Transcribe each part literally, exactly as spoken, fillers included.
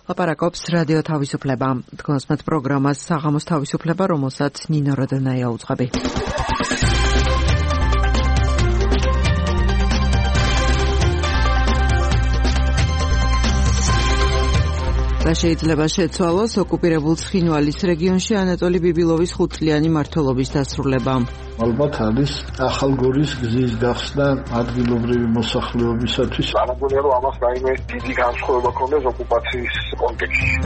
ლაპარაკობს რადიო თავისუფლება. თქვენს პროგრამას საღამოს თავისუფლება, რომელსაც ნინო როდენაია უძღვები. და შეიძლება შეცვალოს ოკუპირებულ ცხინვალის რეგიონში ანატოლი ბიბილოვის ხუთწლიანი მმართველობის დასრულება. ალბათ არის ახალგორის გზის გახსნა ადგილობრივი მოსახლეობისათვის. არ მგონია რომ ამას რაიმე დიდი განსხვავება ქონდეს ოკუპაციის კონტექსტში.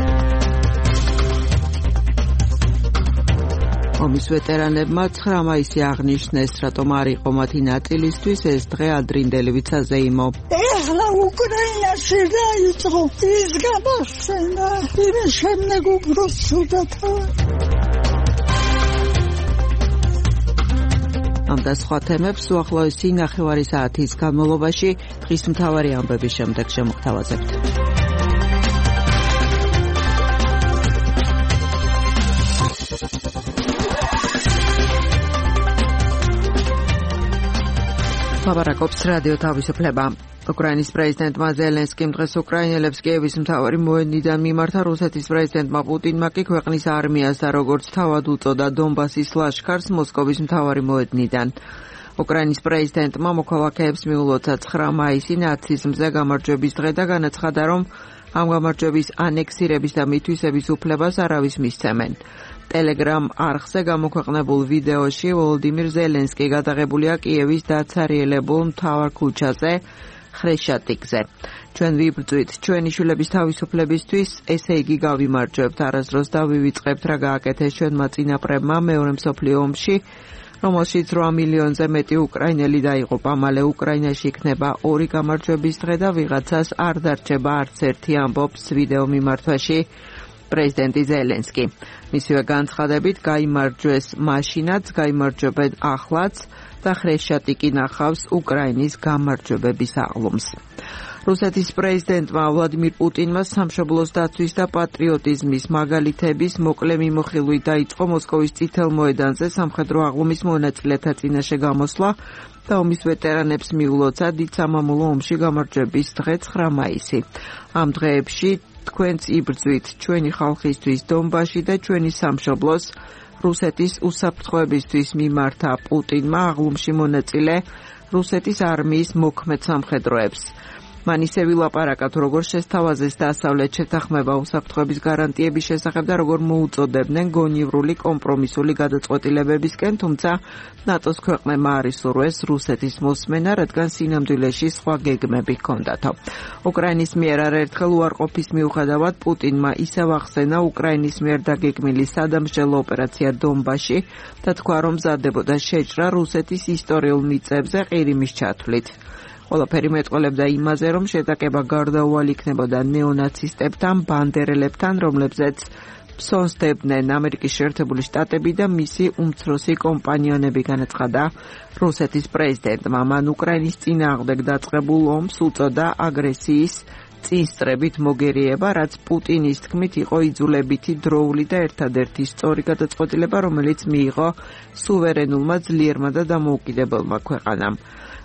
ომის ვეტერანებმა ცხრა მაისი აღნიშნეს, რატომ არ იყო მათი ნაწილისთვის ეს დღე ადრინდელი ვიცაზეიმო. ეხლა უკრაინაში დაიწყო ის გამახსენა, იმის შემდეგ უბრალოდ ცუდად. ამ და სხვა თემებს უახლოესი ნახევარი საათის განმავლობაში დღის მთავარი ამბების შემდეგ შემოგთავაზებთ. ლაპარაკობს რადიო თავისუფლება. უკრაინის პრეზიდენტმა ზელენსკიმ დღეს უკრაინელებს კიევის მთავარი მოედნიდან მიმართა. რუსეთის პრეზიდენტმა პუტინმა კი ქვეყნის არმიას და როგორც თავად უწოდა დონბასის ლაშქარს მოსკოვის მთავარი მოედნიდან. უკრაინის პრეზიდენტმა მოქალაქეებს მიულოცა ცხრა მაისი ნაციზმზე გამარჯვების დღე და განაცხადა, რომ ამ გამარჯვების ანექსირების და მითვისების უფლებას არავის მისცემენ. ტელეგრამ არხზე გამოქვეყნებულ ვიდეოში ვოლოდიმირ ზელენსკი გადაღებულია კიევის დაცარიელებულ მთავარ ქუჩაზე ხრეშატიკზე. ჩვენ ვიბრძვით ჩვენი შვილების თავისუფლებისთვის, ესე იგი გავიმარჯვებთ, არასდროს დავივიწყებთ რა გააკეთეს ჩვენმა წინაპრებმა მეორე მსოფლიო ომში, რომელშიც რვა მილიონზე მეტი უკრაინელი დაიღუპა. მალე უკრაინაში იქნება ორი გამარჯვების დღე და ვიღაცას არ დარჩება არც ერთი, ამბობს ვიდეო მიმართვაში პრეზიდენტი ზელენსკი. მისივე განცხადებით გაიმარჯვეს მაშინაც, გაიმარჯვებენ ახლაც და ხრეშატიკი ნახავს უკრაინის გამარჯვებების აღლუმს. რუსეთის პრეზიდენტმა ვლადიმირ პუტინმა სამშობლოს დაცვის და პატრიოტიზმის მაგალითების მოკლე მიმოხილვით დაიწყო მოსკოვის წითელ მოედანზე სამხედრო აღლუმის მონაწილეთა წინაშე გამოსვლა და ომის ვეტერანებს მიულოცა დიდ სამამულო ომში გამარჯვების დღე ცხრა მაისი. ამ დღეებში თქვენც იბრძვით ჩვენი ხალხისთვის დონბასში და ჩვენი სამშობლოს რუსეთის უსაფრთხოებისთვის მიმართა პუტინმა აღლუმში მონაწილე რუსეთის არმიის მოქმედ სამხედროებს. მან ისე ვილაპარაკა, როგორ შესთავაზეს დასავლეთ შეთანხმება უსაფრთხოების გარანტიების შესახებ და როგორ მოუწოდებდნენ გონივრული კომპრომისული გადაწყვეტილებებისკენ, თუმცა ნატოს ქვეყნებმა არ ისურვეს რუსეთის მოსმენა, რადგან სინამდვილეში სხვა გეგმები ჰქონდათო. უკრაინის მიერ არაერთხელ უარყოფის მიუხედავად პუტინმა ისევ ახსენა უკრაინის მიერ დაგეგმილი სადამსჯელო ოპერაცია დონბასში და თქვა, რომ მზადდებოდა შეჭრა რუსეთის ისტორიულ მიწებზე ყირიმის ჩათვლით. ყველაფერი მეტყველებდა იმაზე, რომ შეტაკება გარდაუვალი იქნებოდა ნეონაცისტებთან, ბანდერელებთან, რომლებზეც ფსონსდებდნენ ამერიკის შეერთებული შტატები და მისი უმცროსი კომპანიონები, განაცხადა რუსეთის პრეზიდენტმა. მან უკრაინის წინააღმდეგ დაწყებულ ომს უწოდა აგრესიის წინსწრებით მოგერიება, რაც პუტინის თქმით იყო იძულებითი, დროული და ერთადერთი სწორი გადაწყვეტილება, რომელიც მიიღო სუვერენულმა, ძლიერმა და დამოუკიდებელმა ქვეყანამ.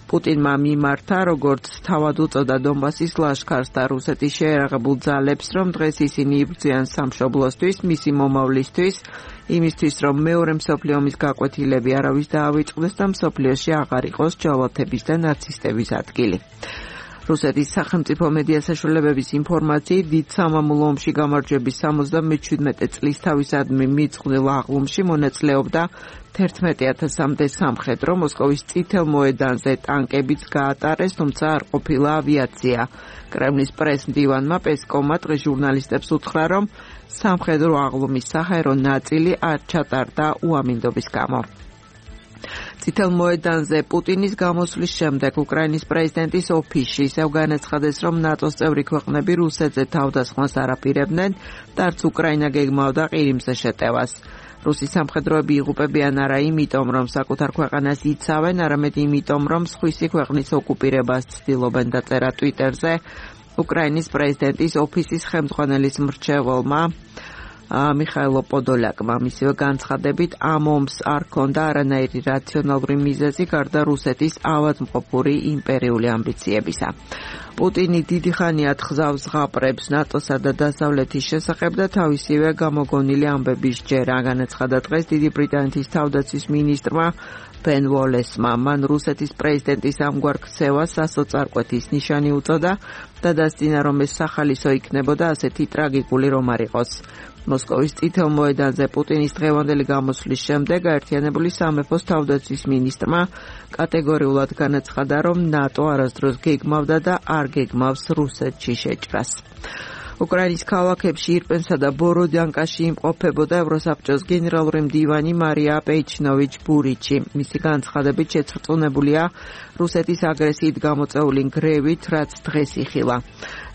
პუტინმა მიმართა, როგორც თავად უწოდა დონბასის ლაშქარს და რუსეთის შეერაღებულ ძალებს, რომ დღეს ისინი იბრძვიან სამშობლოსთვის, მისი მომავლისთვის, იმისთვის, რომ მეორე მსოფლიო ომის გაკვეთილები არავის დაავიწყდეს და მსოფლიოში აღარ იყოს ჯავათების და ნაცისტების ადგილი. რუსეთის სახელმწიფო მედია საშუალებების ინფორმაციით, დიდ სამამულო ომში გამარჯვების სამოცდამეჩვიდმეტე წლის თავისადმი მიწყვილ აღლუმში მონაწილეობდა თერთმეტი ათასამდე სამხედრო. მოსკოვის წითელ მოედანზე ტანკებიც გაატარეს, თუმცა არ ყოფილა ავიაცია. კრემლის პრეს-მდივანმა პესკოვმა დღეს ჟურნალისტებს უთხრა, რომ სამხედრო აღლუმის საჰაერო ნაწილი არ ჩატარდა უამინდობის გამო. წითელ მოედანზე პუტინის გამოსვლის შემდეგ უკრაინის პრეზიდენტის ოფისში ისევ განაცხადეს, რომ ნატოს წევრი ქვეყნები რუსეთზე თავდასხმას არ აპირებდნენ და არც უკრაინა გეგმავდა ყირიმზე შეტევას. რუსი სამხედროები იღუპებიან არა იმიტომ, რომ საკუთარ ქვეყანას იცავენ, არამედ იმიტომ, რომ სხვისი ქვეყნის ოკუპირებას ცდილობენ, დაწერა ტვიტერზე უკრაინის პრეზიდენტის ოფისის ხელმძღვანელის მრჩეველმა მიხაილო პოდოლაკმა მისივე განცხადებით ამ ომს არ ჰქონდა არანაირი რაციონალური მიზეზი გარდა რუსეთის ავადმყოფური იმპერიული ამბიციებისა. პუტინი დიდი ხანია თხზავს ზღაპრებს ნატოსა და დასავლეთის შესახებ და თავისივე გამოგონილი ამბების ჯერა განაცხადა დღეს დიდი ბრიტანეთის თავდაცვის მინისტრმა ბენ უოლესმა. მან რუსეთის პრეზიდენტის ამგვარ ქცევას სასოწარკვეთის ნიშანი უწოდა და დასძინა, რომ ეს სახალისო იქნებოდა ასეთი ტრაგიკული რომ არ იყოს. მოსკოვის წითელ მოედანზე პუტინის დღევანდელი გამოსვლის შემდეგ გაერთიანებული სამეფოს თავდაცვის მინისტრმა კატეგორიულად განაცხადა, რომ ნატო არასდროს გეგმავდა და არ გეგმავს რუსეთში შეჭრას. უკრაინის ქალაქებში ირპენსა და ბოროდიანკაში იმყოფებოდა ევროსაბჭოს გენერალური მდივანი მარია პეიჩნოვიჩ ბურიჩი. მისი განცხადებით შეწრწუნებულია რუსეთის აგრესიით გამოწეული ნგრევით, რაც დღეს იხილა.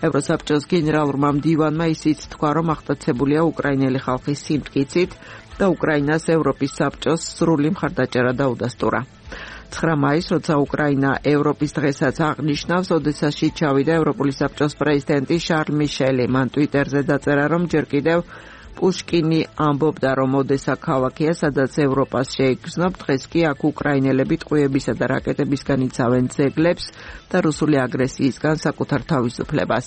ევროსაბჭოს გენერალურმა მდივანმა ისიც თქვა, რომ აღტაცებულია უკრაინელი ხალხის სიმტკიცით და უკრაინას ევროპის საბჭოს სრული მხარდაჭერა დაუდასტურა. ცხრა მაისს, როცა უკრაინა ევროპის დღესაც აღნიშნავს, ოდესაში ჩავიდა ევროპული საბჭოს პრეზიდენტი შარლ მიშელი. მან ტვიტერზე დაწერა, რომ ჯერ კიდევ პუშკინი ამბობდა, რომ ოდესა ქალაქია, სადაც ევროპას შეიგრძნობ, დღეს კი აქ უკრაინელები ტყვიებისა და რაკეტებისგან იცავენ ძეგლებს და რუსული აგრესიისგან საკუთარ თავისუფლებას.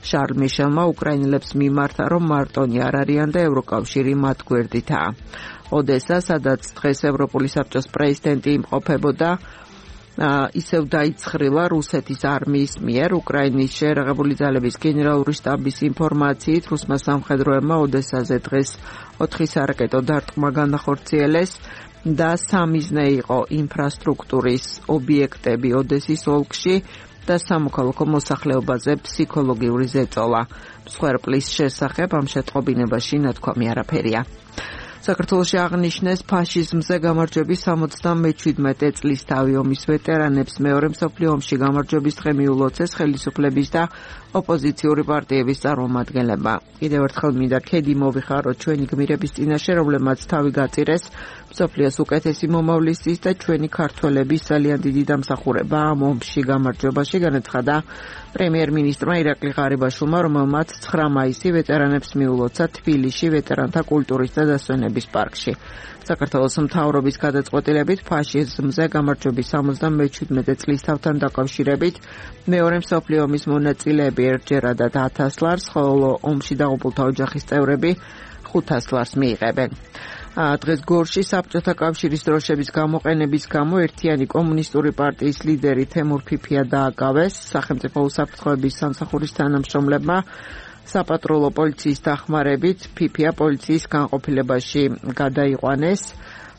შარლ მიშელმა უკრაინელებს მიმართა, რომ მარტონი არ არიან და ევროკავშირი მათ გვერდითაა. ოდესა, სადაც დღეს ევროპული საბჭოს პრეზიდენტი იმყოფებოდა, ისევ დაიცხრილა რუსეთის არმიის მიერ. უკრაინის შეერაღებული ძალების გენერალური შტაბის ინფორმაციით, რუსმა სამხედროებმა ოდესაზე დღეს ოთხი სარაკეტო დარტყმა განახორციელეს და სამიზნე იყო ინფრასტრუქტურის ობიექტები ოდესის ოლქში და სამოქალაქო მოსახლეობაზე ფსიქოლოგიური ზეწოლა. მსხვერპლის შესახებ ამ შეტყობინებაში ნათქვამი არაფერია. საქართველოში აღნიშნეს ფაშიზმზე გამარჯვების სამოცდამეჩვიდმეტე წლისთავი ომის ვეტერანებს. მეორე მსოფლიო ომში გამარჯვების დღე მიულოცეს ხელისუფლების და ოპოზიციური პარტიების წარმომადგენლებმა. კიდევ ერთხელ მინდა ქედი მოვიხაროთ ჩვენი გმირების წინაშე, რომლებმაც თავი გაწირეს მსოფლიოს უკეთესი მომავლისთვის და ჩვენი ქართველების ძალიან დიდი დამსახურება ამ ომში გამარჯვებაში, განაცხადა პრემიერ-მინისტრმა ირაკლი ღარიბაშვილმა, რომელმაც ცხრა მაისი ვეტერანებს მიულოცა თბილისში ვეტერანთა კულტურის და დასვენების პარკში. საქართველოს მთავრობის გადაწყვეტილებით ფაშიზმზე გამარჯვების სამოცდამეჩვიდმეტე წლისთავთან დაკავშირებით მეორე მსოფლიო ომის მონაწილეები ერთჯერადად ათას ლარს, ხოლო ომში დაღუპულთა ოჯახის წევრები ხუთას ლარს მიიღებენ. დღეს გორში საბჭოთა კავშირის დროშების გამოყენების გამო ერთიანი კომუნისტური პარტიის ლიდერი თემურ ფიფია დააკავეს. სახელმწიფო უსაფრთხოების სამსახურის თანამშრომლებმა საპატრულო პოლიციის დახმარებით ფიფია პოლიციის განყოფილებაში გადაიყვანეს.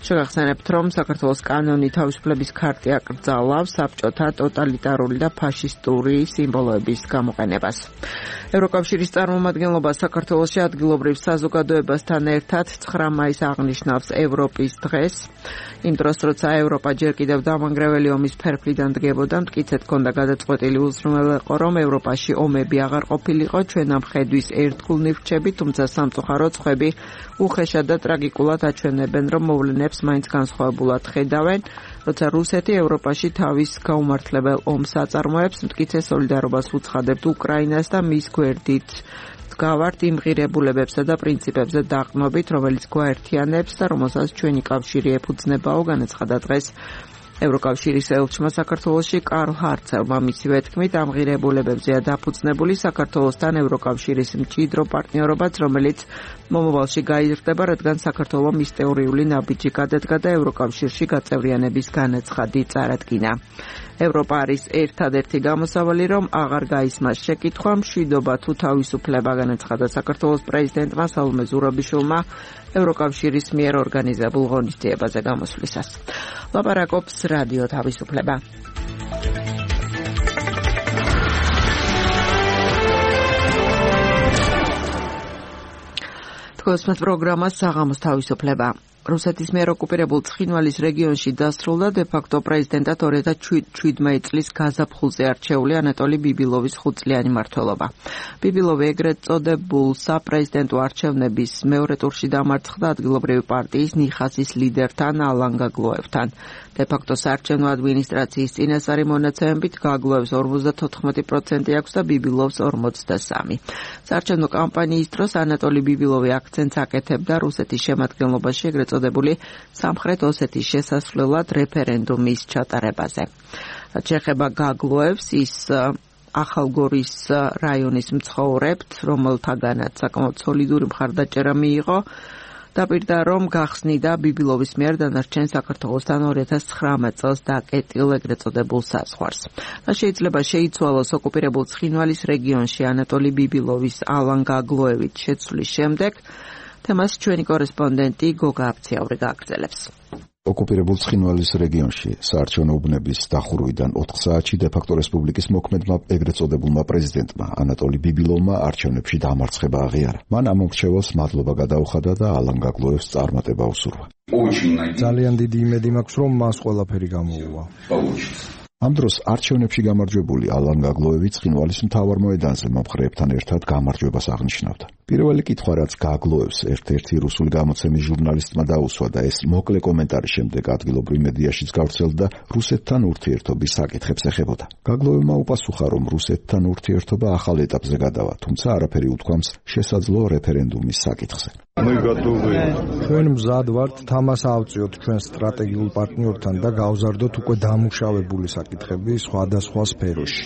შეგახსენებთ, რომ საქართველოს კანონი თავისუფლების ქარტი აკრძალავს საბჭოთა ტოტალიტარული და ფაშისტური სიმბოლოების გამოყენებას. ევროკავშირის წარმომადგენლობა საქართველოში ადგილობრივ საზოგადოებასთან ერთად ცხრა მაისს აღნიშნავს ევროპის დღეს. იმ დროს, როცა ევროპა ჯერ კიდევ დამანგრეველი ომის ფერფლიდან დგებოდა, მტკიცედ ჰქონდა გადაწყვეტილი უზრუნველყო, რომ ევროპაში ომები აღარ ყოფილიყო. ჩვენ ამ ხედვის ერთგულნი ვრჩებით, თუმცა სამწუხაროდ სხვები უხეშად და ტრაგიკულად აჩვენებენ, რომ მოვლენებს მაინც განსხვავებულად ხედავენ. როცა რუსეთი ევროპაში თავის გაუმართლებელ ომს აწარმოებს, მტკიცე სოლიდარობას უცხადებთ უკრაინას და მის გვერდით ვდგავართ იმ ღირებულებებსა და პრინციპებზე დაყრდნობით, რომელიც გვაერთიანებს და რომელსაც ჩვენი კავშირი ეფუძნებაო, განაცხადა დღეს ევროკავშირის ელჩმა საქართველოში კარლ ჰარცელმა. მისივე თქმით, ამ ღირებულებებზეა დაფუძნებული საქართველოსთან ევროკავშირის მჭიდრო პარტნიორობაც, რომელიც მომავალში გაიზრდება, რადგან საქართველო მის თეორიული ნაბიჯი გადადგა და ევროკავშირში გაწევრიანების განაცხადი წარადგინა. ევროპა არის ერთადერთი გამოსავალი, რომ აღარ გაისმას შეკითხვა, მშვიდობა თუ თავისუფლება, განაცხადა საქართველოს პრეზიდენტმა სალომე ზურაბიშვილმა ევროკავშირის მიერ ორგანიზებულ ღონისძიებაზე გამოსვლისას. ლაპარაკობს რადიო თავისუფლება. თქვენს პროგრამას საღამოს თავისუფლება. რუსეთის მიერ ოკუპირებულ ცხინვალის რეგიონში დასრულდა დე-ფაქტო პრეზიდენტად ორი ათას შვიდმეტი წლის გაზაფხულზე არჩეული ანატოლი ბიბილოვის ხუთწლიანი მმართველობა. ბიბილოვი ეგრეთ წოდებულ საპრეზიდენტო არჩევნების მეორე ტურში დამარცხდა ადგილობრივი პარტიის ნიხასის ლიდერთან ალან გაგლოევთან. დე-ფაქტო საარჩევნო ადმინისტრაციის წინასწარი მონაცემებით გაგლოევს ორმოცდათოთხმეტი პროცენტი აქვს და ბიბილოვს ორმოცდასამი. საარჩევნო კამპანიის დროს ანატოლი ბიბილოვი აქცენტს აკეთებდა რუსეთის შემადგენლობაში ეგრეთ წოდებული სამხრეთ ოსეთის შესასვლელად რეფერენდუმის ჩატარებაზე. რაც შეეხება გაგლოევს, ის ახალგორის რაიონის მცხოვრებთ, რომელთაგანაც საკმაოდ სოლიდური მხარდაჭერა მიიღო, დაპირდა რომ გახსნიდა ბიბილოვის მიერ დანარჩენ საქართველოსთან ორი ათას ცხრამეტ წელს დაკეტილ ეგრეთ წოდებულ საზღვარს. და შეიძლება შეიცვალოს ოკუპირებულ ცხინვალის რეგიონში ანატოლი ბიბილოვის ალან გაგლოევით შეცვლის შემდეგ, თემას ჩვენი კორესპონდენტი გოგა აფციაური გააგრძელებს. ოკუპირებულ ცხინვალის რეგიონში საარჩევნო უბნების დახურვიდან ოთხ საათში დე-ფაქტო რესპუბლიკის მოქმედმა ეგრეთ წოდებულმა პრეზიდენტმა ანატოლი ბიბილოვმა არჩევნებში დამარცხება აღიარა. მან ამომრჩეველს მადლობა გადაუხადა და ალან გაგლოევს წარმატება უსურვა. ძალიან დიდი იმედი მაქვს, რომ მას ყველაფერი გამოუვა. ამ დროს არჩევნებში გამარჯვებული ალან გაგლოევი ცხინვალის მთავარ მოედანზე მომხრეებთან ერთად გამარჯვებას აღნიშნავდა. პირველი კითხვა, რაც გაგლოევს ერთ-ერთი რუსული გამოცემის ჟურნალისტმა დაუსვა და ეს მოკლე კომენტარის შემდეგ ადგილობრივ მედიაშიც გავრცელდა, რუსეთთან ურთიერთობის საკითხებს ეხებოდა. გაგლოევმა უპასუხა, რომ რუსეთთან ურთიერთობა ახალ ეტაპზე გადავა, თუმცა არაფერი უთქვამს შესაძლო რეფერენდუმის საკითხზე. ჩვენ მზად ვართ თამას ავწიოთ ჩვენ სტრატეგიულ პარტნიორთან და გავზარდოთ უკვე დამუშავებული საკითხები სხვადასხვა სფეროში.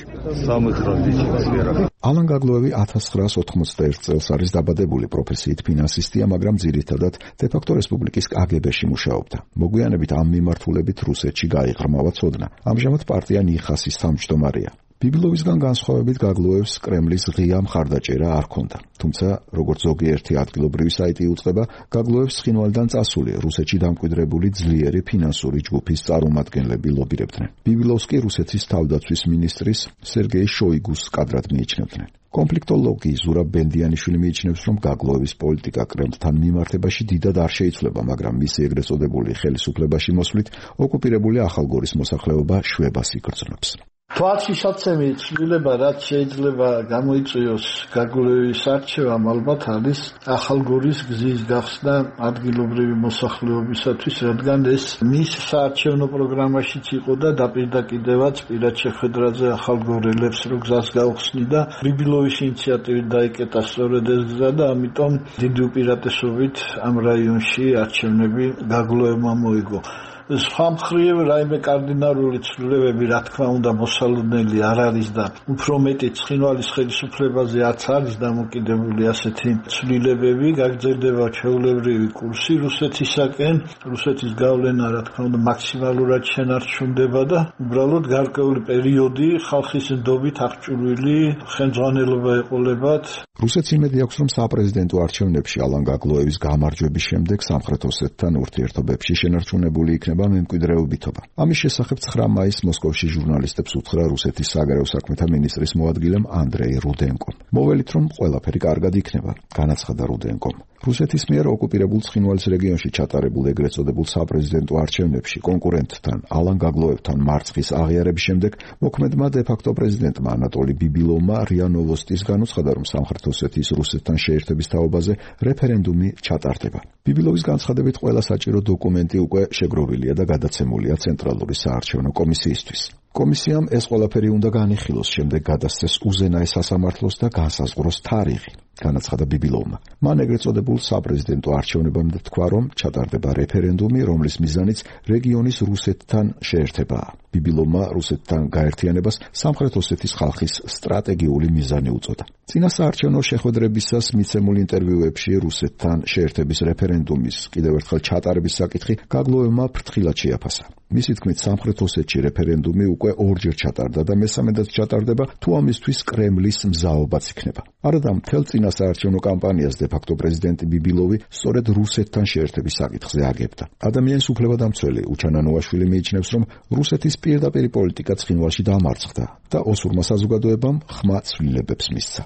ალან გაგლოევი ათას ცხრაასი ოთხმოცდაერთი წელს არის დაბადებული, პროფესიით ფინანსისტია, მაგრამ ძირითადად დე-ფაქტო რესპუბლიკის კაგებეში მუშაობდა. მოგვიანებით ამ მიმართულებით რუსეთში გაიღრმავა ცოდნა. ამჟამად პარტია ნიხასის თავმჯდომარეა. ბიბილოვისგან განსხვავებით გაგლოევს კრემლის ღია მხარდაჭერა არ ჰქონდა. თუმცა, როგორც ზოგიერთი ადგილობრივი საიტი უწყება, გაგლოევს ცხინვალიდან წასული რუსეთში დამკვიდრებული ძლიერი ფინანსური ჯგუფის წარმომადგენლები ლობირებდნენ. ბიბილოვს კი რუსეთის თავდაცვის მინისტრის სერგეი შოიგუს კადრად მიიჩნევდნენ. კონფლიქტოლოგი ზურაბ ბენდიანიშვილი მიიჩნევს, რომ გაგლოევის პოლიტიკა კრემლთან მიმართებაში დიდად არ შეიცვლება, მაგრამ მისი ეგრეთ წოდებული ხელისუფლებაში მოსვლით ოკუპირებული ახალგორის მოსახლეობა შვებას იგრძნობს. თვალშისაცემი ცვლილება, რაც შეიძლება გამოიწვიოს გაგლოევის არჩევამ, ალბათ არის ახალგორის გზის გახსნა ადგილობრივი მოსახლეობისათვის, რადგან ეს მის საარჩევნო პროგრამაშიც იყო და დაპირდა კიდევაც პირად შეხვედრაზე ახალგორელებს, რომ გზას გაუხსნიდა. ბიბილოვის ინიციატივით დაიკეტა სწორედ ეს გზა და ამიტომ დიდი უპირატესობით ამ რაიონში არჩევნები გაგლოევმა მოიგო. სხვა მხრივ რაიმე კარდინალური ცვლილებები, რა თქმა უნდა, მოსალოდნელი არ არის და უფრო მეტი ცხინვალის ხელისუფლებაზე არც არის დამოკიდებული ასეთი ცვლილებები. გაგრძელდება ჩვეულებრივი კურსი რუსეთისაკენ, რუსეთის გავლენა, რა თქმა უნდა, მაქსიმალურად შენარჩუნდება და უბრალოდ გარკვეული პერიოდი ხალხის ნდობით აღჭურვილი ხელმძღვანელობა ეყოლებათ. რუსეთს იმედი აქვს, რომ საპრეზიდენტო არჩევნებში ალან გაგლოევის გამარჯვების შემდეგ სამხრეთ ოსეთთან ურთიერთობებში შენარჩუნებული იქნება მემკვიდრეობითობა. ამის შესახებ ცხრა მაისს მოსკოვში ჟურნალისტებს უთხრა რუსეთის საგარეო საქმეთა მინისტრის მოადგილემ ანდრეი რუდენკომ. მოველით, რომ ყველაფერი კარგად იქნება, განაცხადა რუდენკომ. რუსეთის მიერ ოკუპირებულ ცხინვალის რეგიონში ჩატარებულ ეგრეთ წოდებულ საპრეზიდენტო არჩევნებში კონკურენტთან ალან გაგლოევთან მარცხის აღიარების შემდეგ მოქმედმა დე-ფაქტო პრეზიდენტმა ანატოლი ბიბილოვმა რია ნოვოსტის განუცხადა, რომ სამხრეთ ოსეთის რუსეთთან შეერთების თაობაზე რეფერენდუმი ჩატარდება. ბიბილოვის განცხადებით ყველა საჭირო დოკუმენტი უკვე შეგროვილია და გადაცემულია ცენტრალური საარჩევნო კომისიისთვის. კომისიამ ეს ყველაფერი უნდა განიხილოს, შემდეგ გადასცეს უზენაეს სასამართლოს და განსაზღვროს თარიღი, განაცხადა ბიბილოვმა. მან ეგრეთ წოდებულ საპრეზიდენტო არჩევნებამდე თქვა, რომ ჩატარდება რეფერენდუმი, რომლის მიზანიც რეგიონის რუსეთთან შეერთებაა. ბიბილოვმა რუსეთთან გაერთიანებას სამხრეთ ოსეთის ხალხის სტრატეგიული მიზანი უწოდა. წინა საარჩევნო შეხვედრებისას მიცემულ ინტერვიუებში რუსეთთან შეერთების რეფერენდუმის კიდევ ერთხელ ჩატარების საკითხი გაგლოევმა ფრთხილად შეაფასა. მისი თქმით, სამხრეთ ოსეთში რეფერენდუმი უკვე ორჯერ ჩატარდა და მესამედაც ჩატარდება, თუ ამისთვის კრემლის მზაობაც იქნება. არადა მთელ წინა საარჩევნო კამპანიას დე-ფაქტო პრეზიდენტი ბიბილოვი სწორედ რუსეთთან შეერთების საკითხზე აგებდა. ადამიანის უფლებადამცველი უჩანანოაშვილი მიიჩნევს, რომ რუსეთის პირდაპირი პოლიტიკა ცხინვალში დამარცხდა და ოსურმა საზოგადოებამ ხმა ცვლილებებს მისცა.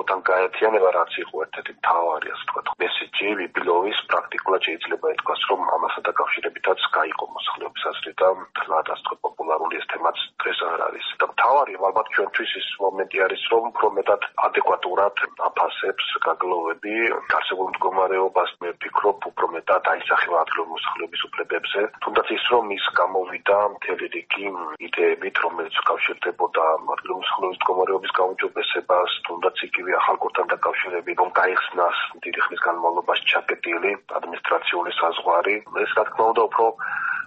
სახელმწიფოთან გაერთიანება, რაც იყო ერთ-ერთი მთავარი, ასე ვთქვათ, მესეჯი ვიბილოვის პრაქტიკულად შეიძლება ითქვას, რომ ამასთან დაკავშირებითაც გაიყო მოსახლეობის აზრი და თლად, ასე ვთქვათ, პოპულარული ეს თემაც დღეს არ არის. და მთავარი ალბათ ჩვენთვის ის მომენტი არის, რომ უფრო მეტად ადეკვატურად აფასებს გაგლოვები არსებულ მდგომარეობას. მე ვფიქრობ, უფრო მეტად აისახება ადგილობრივი მოსახლეობის უფლებებზე. თუნდაც ის, რომ ის გამოვიდა მთელი რიგი იდეებით, რომელიც უკავშირდებოდა ადგილობრივი მოსახლეობის მდგომარეობის გაუმჯობესებას, თუნდაც იგივე ახალგორთან დაკავშირებით, რომ გაიხსნას დიდი ხნის განმავლობაში ჩაკეტილი ადმინისტრაციული საზღვარი. ეს რა თქმა უნდა უფრო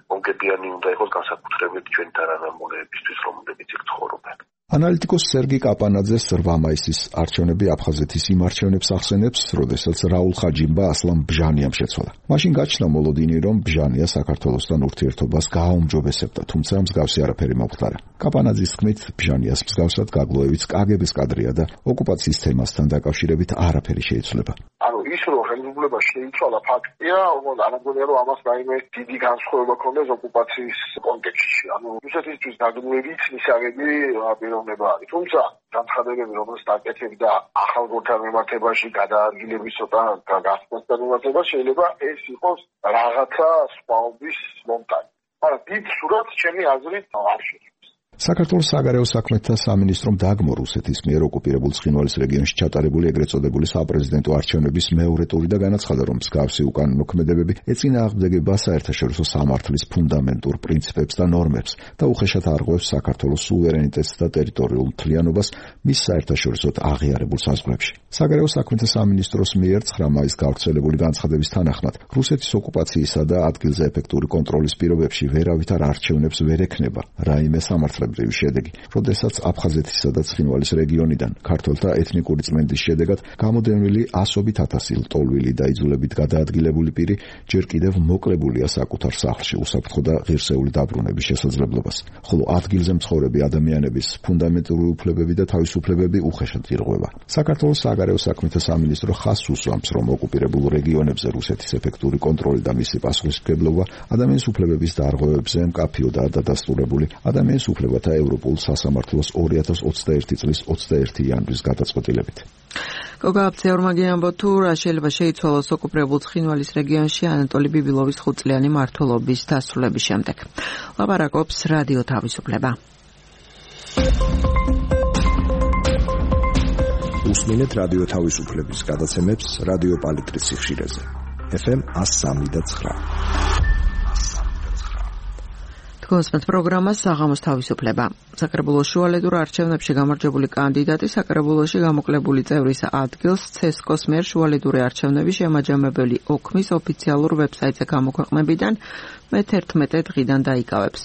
მომგებიანი უნდა იყოს განსაკუთრებით ჩვენი თანამემამულეებისთვის, რომლებიც იქ ცხოვრობენ. ანალიტიკოს სერგი კაპანაძეს რვა მაისის არჩევნები აფხაზეთის იმ არჩევნებს ახსენებს, როდესაც რაულ ხაჯიმბა ასლან ბჟანიამ შეცვალა. მაშინ გაჩნდა მოლოდინი, რომ ბჟანია საქართველოსთან ურთიერთობას გააუმჯობესებდა, თუმცა მსგავსი არაფერი მომხდარა. კაპანაძის თქმით, ბჟანიას მსგავსად გაგლოევიც კაგების კადრია და ოკუპაციის თემასთან დაკავშირებით არაფერი შეიცვლება. ანუ ის რომ ხელისუფლება შეიცვალა ფაქტია, არამგონია რომ ამას რაიმე დიდი განსხვავება ქონდეს ოკუპაციის კონტექსტში. ანუ რუსეთისთვის დაგლოევიც მისაღები პიროვნება არის. თუმცა განცხადებები, რომელსაც დაკეთებდა ახალგორთან მიმართებაში გადაადგილების ცოტა გასწრებასთან მიმართებაში, შეიძლება ეს იყოს რაღაცა სხვაობის მომტანი. მაგრამ დიდ სურათს ჩემი აზრით არ შეიძლება. საქართველოს საგარეო საქმეთა სამინისტრომ დააგმო რუსეთის მიერ ოკუპირებულ ცხინვალის რეგიონში ჩატარებული ეგრეთ წოდებული საპრეზიდენტო არჩევნების მეორე ტური და განაცხადა, რომ მსგავსი უკანონო ქმედებები ეწინააღმდეგება საერთაშორისო სამართლის ფუნდამენტურ პრინციპებს და ნორმებს და უხეშად არღვევს საქართველოს სუვერენიტეტს და ტერიტორიულ მთლიანობას მის საერთაშორისოდ აღიარებულ საზღვრებში. საგარეო საქმეთა სამინისტროს მიერ ცხრა მაისს გავრცელებული განცხადების თანახმად, რუსეთის ოკუპაციისა და ადგილზე ეფექტური კონტროლის პირობებში ვერავითარ არჩევნებს ვერ ექნება რაიმე სამართლებრივი შედეგი, როდესაც აფხაზეთისა და ცხინვალის რეგიონიდან ქართველთა ეთნიკური წმენდის შედეგად გამოდენილი ასობით ათასი ლტოლვილი და იძულებით გადაადგილებული პირი ჯერ კიდევ მოკლებულია საკუთარ სახლში უსაფრთხო და ღირსეული დაბრუნების შესაძლებლობას, ხოლო ადგილზე მცხოვრები ადამიანების ფუნდამენტური უფლებები და თავისუფლებები უხეშად ირღვევა. საქართველოს საგარეო საქმეთა სამინისტრო ხაზს უსვამს, რომ ოკუპირებულ რეგიონებზე რუსეთის ეფექტური კონტროლი და მისი პასუხისმგებლობა ადამიანის უფლებების დარღვევებზე მკაფიოდაა დადასტურებული. ადამიანის უფლებათა ევროპულ სასამართლოს ორი ათას ოცდაერთი წლის ოცდაერთი იანვრის გადაწყვეტილებით. გოგა აფცეორმაგი ამბობ თუ რა შეიძლება შეიცვალოს ოკუპირებულ ცხინვალის რეგიონში ანატოლი ბიბილოვის ხუთწლიანი მმართველობის დასრულების შემდეგ. ლაპარაკობს რადიო თავისუფლება. უსმინეთ რადიო თავისუფლების გადაცემებს რადიო პალიტრის სიხშირეზე. ეფ ემ one oh three და nine. თქვენს პროგრამას საღამოს თავისუფლება. საკრებულოს შუალედურ არჩევნებში გამარჯვებული კანდიდატი საკრებულოში გამოკლებული წევრის ადგილს ცესკოს მიერ შუალედური არჩევნების შემაჯამებელი ოქმის ოფიციალურ ვებსაიტზე გამოქვეყნებიდან მე თერთმეტი დღიდან დაიკავებს.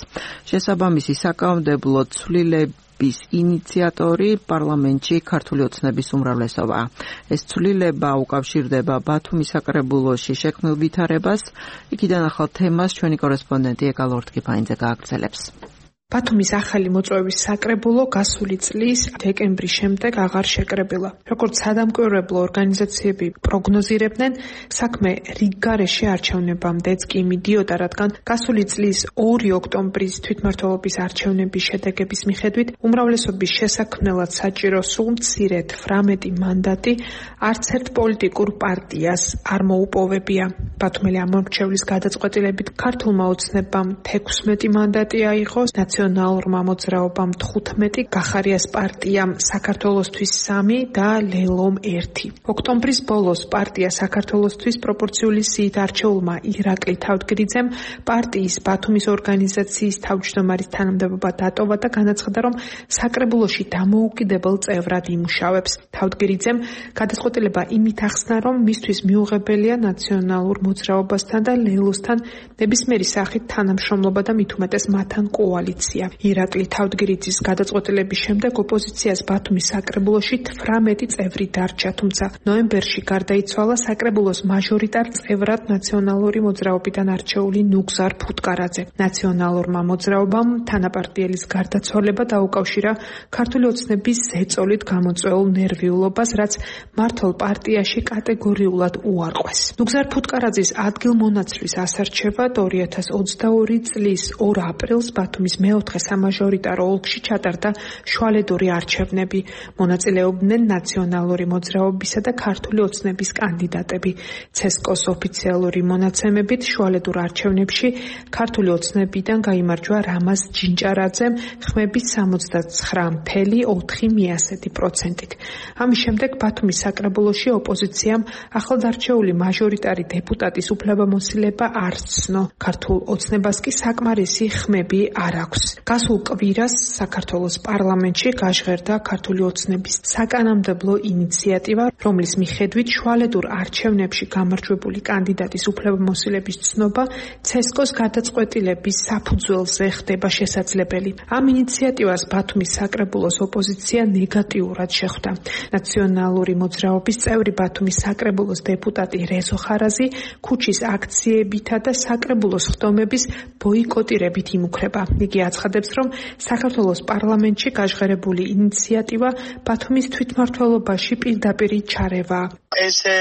შესაბამისი საკანონმდებლო ცვლილების ინიციატორი პარლამენტში ქართული ოცნების უმრავლესობაა. ეს ცვლილება უკავშირდება ბათუმის საკრებულოში შექმნილ ვითარებას. იქიდან ახალ თემას ჩვენი კორესპონდენტი ეკალ ორთქიფაინძე გააგრძელებს. ბათუმის ახალი მოწვევის საკრებულო გასული წლის დეკემბრის შემდეგ აღარ შეკრებილა. როგორც სადამკვირვებლო ორგანიზაციები პროგნოზირებდნენ, საქმე რიგგარეში არჩევნებამდეც კი მიდიოდა, რადგან გასული წლის ორი ოქტომბრის თვითმმართველობის არჩევნების შედეგების მიხედვით უმრავლესობის შესაქმნელად საჭირო სულ მცირედ ვრამეტი მანდატი არც ერთ პოლიტიკურ პარტიას არ მოუპოვებია. ბათუმელი ამომრჩევლის გადაწყვეტილებით ქართულმა ოცნებამ ექვსმეტი მანდატი აიღო, ნაციონალურმა მოძრაობამ თხუთმეტი, გახარიას პარტიამ საქართველოსთვის სამი და ლელომ ერთი. ოქტომბრის ბოლოს პარტია საქართველოსთვის პროპორციული სიით არჩეულმა ირაკლი თავდგრიძემ პარტიის ბათუმის ორგანიზაციის თავმჯდომარის თანამდებობა დატოვა და განაცხადა, რომ საკრებულოში დამოუკიდებელ წევრად იმუშავებს. თავდგრიძემ გადაწყვეტილება იმით ახსნა, რომ მისთვის მიუღებელია ნაციონალურ მოძრაობასთან და ლელოსთან ნებისმიერი სახით თანამშრომლობა და მით უმეტეს მათთან კოალიცია. ირაკლი თავდგრიძის გადაწყვეტილების შემდეგ ოპოზიციას ბათუმის საკრებულოში თვრამეტი წევრი დარჩა, თუმცა ნოემბერში გარდაიცვალა საკრებულოს მაჟორიტარ წევრად ნაციონალური მოძრაობიდან არჩეული ნუგზარ ფუტკარაძე. ნაციონალურმა მოძრაობამ თანაპარტიელის გარდაცვალება დაუკავშირა ქართული ოცნების ზეწოლით გამოწვეულ ნერვიულობას, რაც მართლ პარტიაში კატეგორიულად უარყვეს. ნუგზარ ფუტკარაძის ადგილმონაცვლის ასარჩევად ორი ათას ოცდაორი წლის ორ აპრილს ბათუმის მეორე მეოთხე სამაჟორიტარო ოლქში ჩატარდა შუალედური არჩევნები. მონაწილეობდნენ ნაციონალური მოძრაობისა და ქართული ოცნების კანდიდატები. ცესკოს ოფიციალური მონაცემებით შუალედურ არჩევნებში ქართული ოცნებიდან გაიმარჯვა რამაზ ჯინჭარაძემ ხმების სამოცდათხრა ფاصლე ოთხი პროცენტით. ამის შემდეგ ბათუმის საკრებულოში ოპოზიციამ ახლადარჩეული მაჟორიტარი დეპუტატის უფლებამოსილება არ ცნო. ქართულ ოცნებას კი საკმარისი ხმები არ აქვს. გასულ კვირას საქართველოს პარლამენტში გაჟღერდა ქართული ოცნების საკანონმდებლო ინიციატივა, რომლის მიხედვით შუალედურ არჩევნებში გამარჯვებული კანდიდატის უფლებამოსილების ცნობა ცესკოს გადაწყვეტილების საფუძველზე ხდება შესაძლებელი. ამ ინიციატივას ბათუმის საკრებულოს ოპოზიცია ნეგატიურად შეხვდა. ნაციონალური მოძრაობის წევრი ბათუმის საკრებულოს დეპუტატი რეზო ხარაზი ქუჩის აქციებითა და საკრებულოს ხდომების ბოიკოტირებით იმუქრება. იგი აცხადებს, რომ საქართველოს პარლამენტში გაჟღერებული ინიციატივა ბათუმის თვითმმართველობაში პირდაპირ ჩარევა. ესე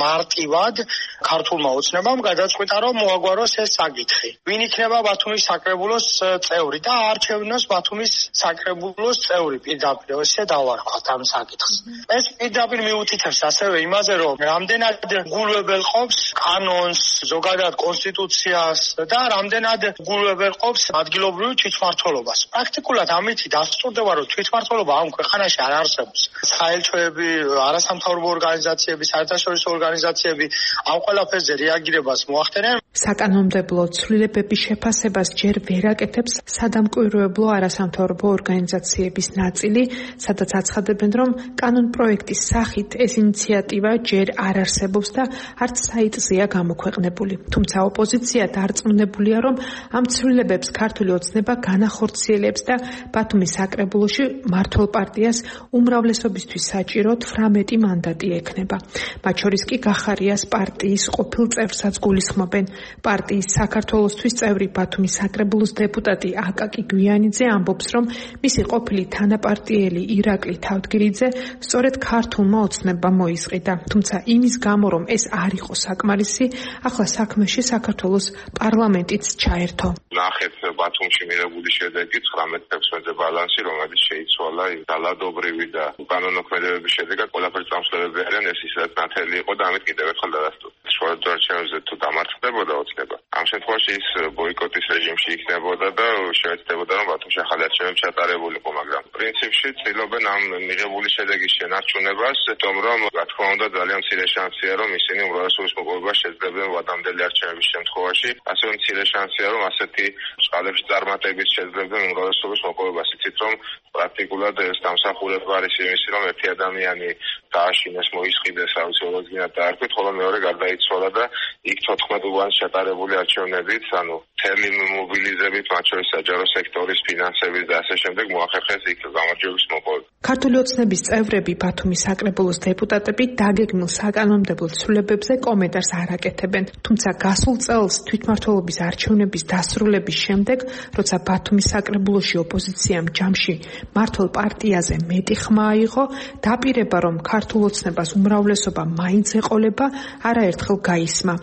მარტივად ქართულმა ოცნებამ გადაწყვიტა, რომ მოაგვაროს ეს საკითხი. ვინ იქნება ბათუმის საკრებულოს წევრი და არჩევნოს ბათუმის საკრებულოს წევრი პირდაპირ ესე დავარქვათ ამ საკითხს. ეს პირდაპირ მიუთითებს ასევე იმაზე, რომ რამდენად გულვებელყოფს კანონს, ზოგადად კონსტიტუციას და რამდენად გულვებელყოფს ადგილობრივ თვითმმართველობას. პრაქტიკულად ამით დასტურდება, რომ თვითმმართველობა ამ ქვეყანაში არ არსებობს. საელჩოები, არასამთავრობო ორგანიზაციები, საერთაშორისო ორგანიზაციები ამ ყველაფერზე რეაგირებას მოახდენენ. საკანონმდებლო ცვლილებების შეფასებას ჯერ ვერ აკეთებს სადამკვირვებლო არასამთავრობო ორგანიზაციების ნაწილი, სადაც აცხადებენ, რომ კანონპროექტის სახით ეს ინიციატივა ჯერ არ არსებობს და არც საიტზეა გამოქვეყნებული. თუმცა ოპოზიცია დარწმუნებულია, რომ ამ ცვლილებებს ქართული ოცნება განახორციელებს და ბათუმის საკრებულოში მმართველ პარტიას უმრავლესობისთვის საჭირო თვრამეტი მანდატი ექნება. მათ შორის კი გახარიას პარტიის ყოფილ წევრსაც გულისხმობენ. პარტიის საქართველოსთვის წევრი ბათუმის საკრებულოს დეპუტატი აკაკი გვიანიძე ამბობს, რომ მისი ყოფილი თანაპარტიელი ირაკლი თავდგირიძე სწორედ ქართულმა ოცნებამ მოისყიდა. თუმცა იმის გამო, რომ ეს არ იყო საკმარისი, ახლა საქმეში საქართველოს პარლამენტიც ჩაერთო. ნახეთ ბათუმში მიღებული შედეგი ცხრამეტ ოცდაექვსი ბალანსი, რომელიც შეიცვალა ძალადობრივი და უკანონოქმედებების შედეგად ყველაფერი წამსვლელები არიან, ეს ისაც ნათელი იყო და ამით კიდევ ერთხელ დადასტურდა. შუალედურ არჩევნებზე თუ დამარცხდებოდა ოცნება, ამ შემთხვევაში ის ბოიკოტის რეჟიმში იქნებოდა და შეეცდებოდა, რომ ბათუმში ახალი არჩევნები ჩატარებულიყო, მაგრამ პრინციპში ცდილობენ ამ მიღებული შედეგის შენარჩუნებას, თუმცა რომ რა თქმა უნდა ძალიან მცირე შანსია, რომ ისინი უმრავლესობის მოპოვებას შეძლებენ ვადამდელი არჩევნების შემთხვევაში, ასევე მცირე შანსია, რომ ასეთი წყალებში წარმატებით შეძლებენ უმრავლესობის მოპოვებას. იცით, რომ პრაქტიკულად ეს დამსახურება არის იმისი, რომ ერთი ადამიანი დააშინეს, მოისყიდეს, აუცილებლად გინდა დაარქვით, ხოლო მეორე გარდაიცვალა და იქ თოთხმეტ უბანს ჩატარებული არჩევნებით, ანუ მთელი მობილიზებით, მათ შორის საჯარო სექტორის ფინანსების და ასე შემდეგ მოახერხეს იქ გამარჯვების მოპოვება. ქართული ოცნების წევრები ბათუმის საკრებულოს დეპუტატები დაგეგმილ საკანონმდებლო ცვლილებებზე კომენტარს არ აკეთებენ. თუმცა გასულ წელს თვითმმართველობის არჩევნების დასრულების შემდეგ, როცა ბათუმის საკრებულოში ოპოზიციამ ჯამში მმართველ პარტიაზე მეტი ხმა აიღო, დაპირება, რომ ქართულ ოცნებას უმრავლესობა მაინც ეყოლება, არაერთხელ გაისმა.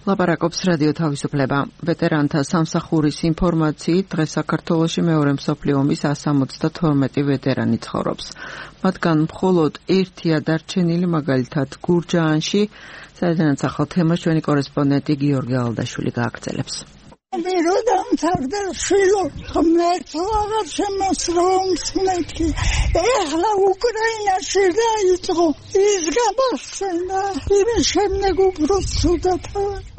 ლაპარაკობს რადიო თავისუფლება. ვეტერანთა სამსახურის ინფორმაციით, დღეს საქართველოში მეორე მსოფლიო ომის εκατს სამოცდათორმეტი ვეტერანი ცხოვრობს. მათგან მხოლოდ ერთია დარჩენილი, მაგალითად გურჯაანში, სადაც ახალ თემას ჩვენი კორესპონდენტი გიორგი ალდაშვილი გააგრძელებს. მე რო დამთავრდა შვილო, ღმერთო აღარ შემოსრომს მეთქი. ეხლა უკრაინაში დაიწყო ის გამახსენა, იმის შემდეგ უფრო ცუდად.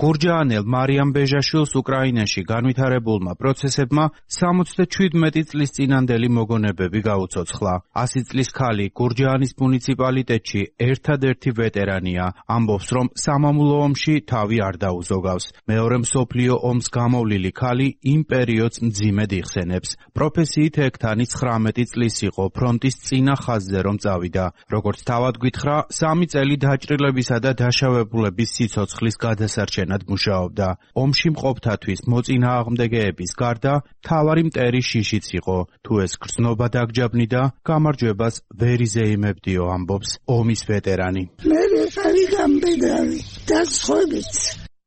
გურჯაანელ მარიამ ბეჟაშვილს უკრაინაში განვითარებულმა პროცესებმა სამოცდაშვიდმეტი წლის წინანდელი მოგონებები გაუცოცხლა. ასი წლის ქალი გურჯაანის მუნიციპალიტეტში ერთადერთი ვეტერანია. ამბობს, რომ სამამულო ომში თავი არ დაუზოგავს. მეორე მსოფლიო ომს გამოვლილი ქალი იმ პერიოდს მძიმედ იხსენებს. პროფესიით ექთანი ცხრამეტი წლის იყო, ფრონტის წინა ხაზზე რომ წავიდა. როგორც თავად გითხრა, სამი წელი დაჭრილებისა და დაშავებულების სიცოცხლის გადასარჩენად მუშაობდა. ომში მყოფთათვის მოწინააღმდეგეების გარდა მთავარი მტერი შიშიც იყო. თუ ეს გრძნობა დაგჯაბნიდა, გამარჯვებას ვერ იზეიმებდიო, ამბობს ომის ვეტერანი. მე ხარი გამბედავი და სხვებიც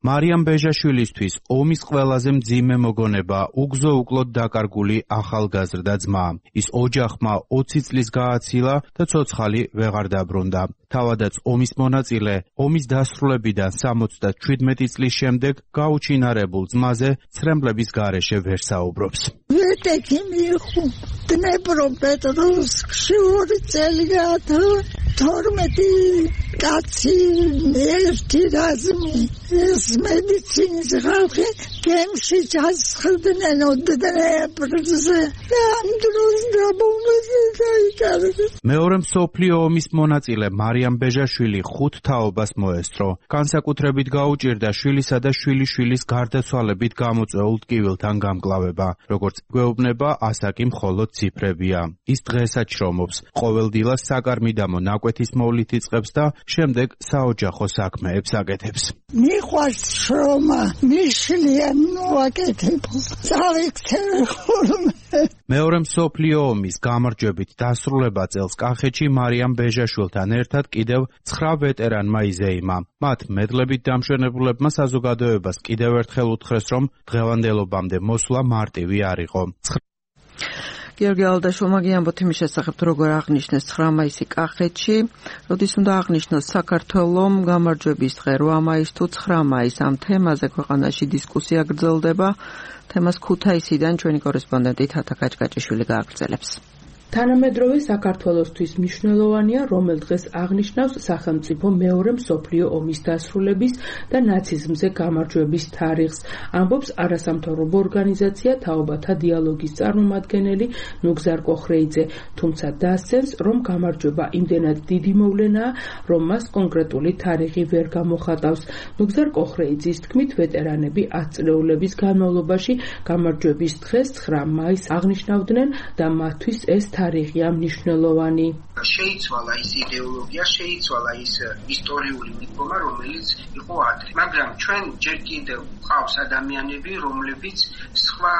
მარიამ ბეჟაშვილისთვის ომის ყველაზე მძიმე მოგონება უგზო უკლოდ დაკარგული ახალგაზრდა ძმა. ის ოჯახმა ოცი წლის გააცილა და ცოცხალი ვეღარ დაბრუნდა. თავადაც ომის მონაწილე ომის დასრულებიდან სამოცდაშვიდმეტი წლის შემდეგ გაუჩინარებულ ძმაზე ცრემლების გარეშე ვერ საუბრობს. ვეტექი მიხუ დნეპროპეტროვსკში ორი წელი გაათა თორმეტი კაცი ერთი რაზმი ეს მედიცინის ხალხი გემში ჩასხდნენ დნეპრზე და ამ დროს დაბომბეს დაიკარგა. მეორე მსოფლიო ომის მონაწილე მარიამ ბეჟაშვილი ხუთ თაობას მოესწრო. განსაკუთრებით გაუჭირდა შვილისა და შვილიშვილის გარდაცვალებით გამოწვეულ ტკივილთან გამკლავება. როგორც გვეუბნება, ასაკი მხოლოდ ციფრებია. ის დღესაც შრომობს. ყოველდილას საკარმიდამო ნაკვეთის მოვლით იწყებს და შემდეგ საოჯახო საქმეებს აკეთებს. მიყვარს შრომა, მიშლია მოაკეთებ. წავიქცევ ხოლმე. მეორე მსოფლიო ომის გამარჯვებით დასრულება წელს კახეთში მარიამ ბეჟაშვილთან ერთად კიდევ ცხრა ვეტერანმა იზეიმა. მათ მედლებით დამშვენებულებმა საზოგადოებას კიდევ ერთხელ უთხრეს, რომ დღევანდელობამდე მოსვლა მარტივი არ იყო. გიორგი ალდაშვილმა გიამბოთ იმის შესახებ, როგორ აღნიშნეს ცხრა მაისი კახეთში, როდის უნდა აღნიშნოს საქართველომ გამარჯვების დღე რვა მაისს თუ ცხრა მაისს. ამ თემაზე ქვეყანაში დისკუსია გრძელდება. თემას ქუთაისიდან ჩვენი კორესპონდენტი თათა კაჭკაჭიშვილი გააგრძელებს. თანამედროვე საქართველოსთვის მნიშვნელოვანია, რომელ დღეს აღნიშნავს სახელმწიფო მეორე მსოფლიო ომის დასრულების და ნაციზმზე გამარჯვების თარიღს. ამბობს არასამთავრობო ორგანიზაცია თაობათა დიალოგის წარმომადგენელი ნუგზარ კოხრეიძე, თუმცა დასცემს, რომ გამარჯვება იმდენად დიდი მოვლენაა, რომ მას კონკრეტული თარიღი ვერ გამოხატავს. ნუგზარ კოხრეიძის თქმით, ვეტერანები ათწლეულების განმავლობაში გამარჯვების დღეს ცხრა მაისს აღნიშნავდნენ და მათთვის ეს თარიღია მნიშვნელოვანი. შეიცვალა ის იდეოლოგია, შეიცვალა ის ისტორიული მიდგომა, რომელიც იყო ადრე. მაგრამ ჩვენ ჯერ კიდევ გვყავს ადამიანები, რომლებიც სხვა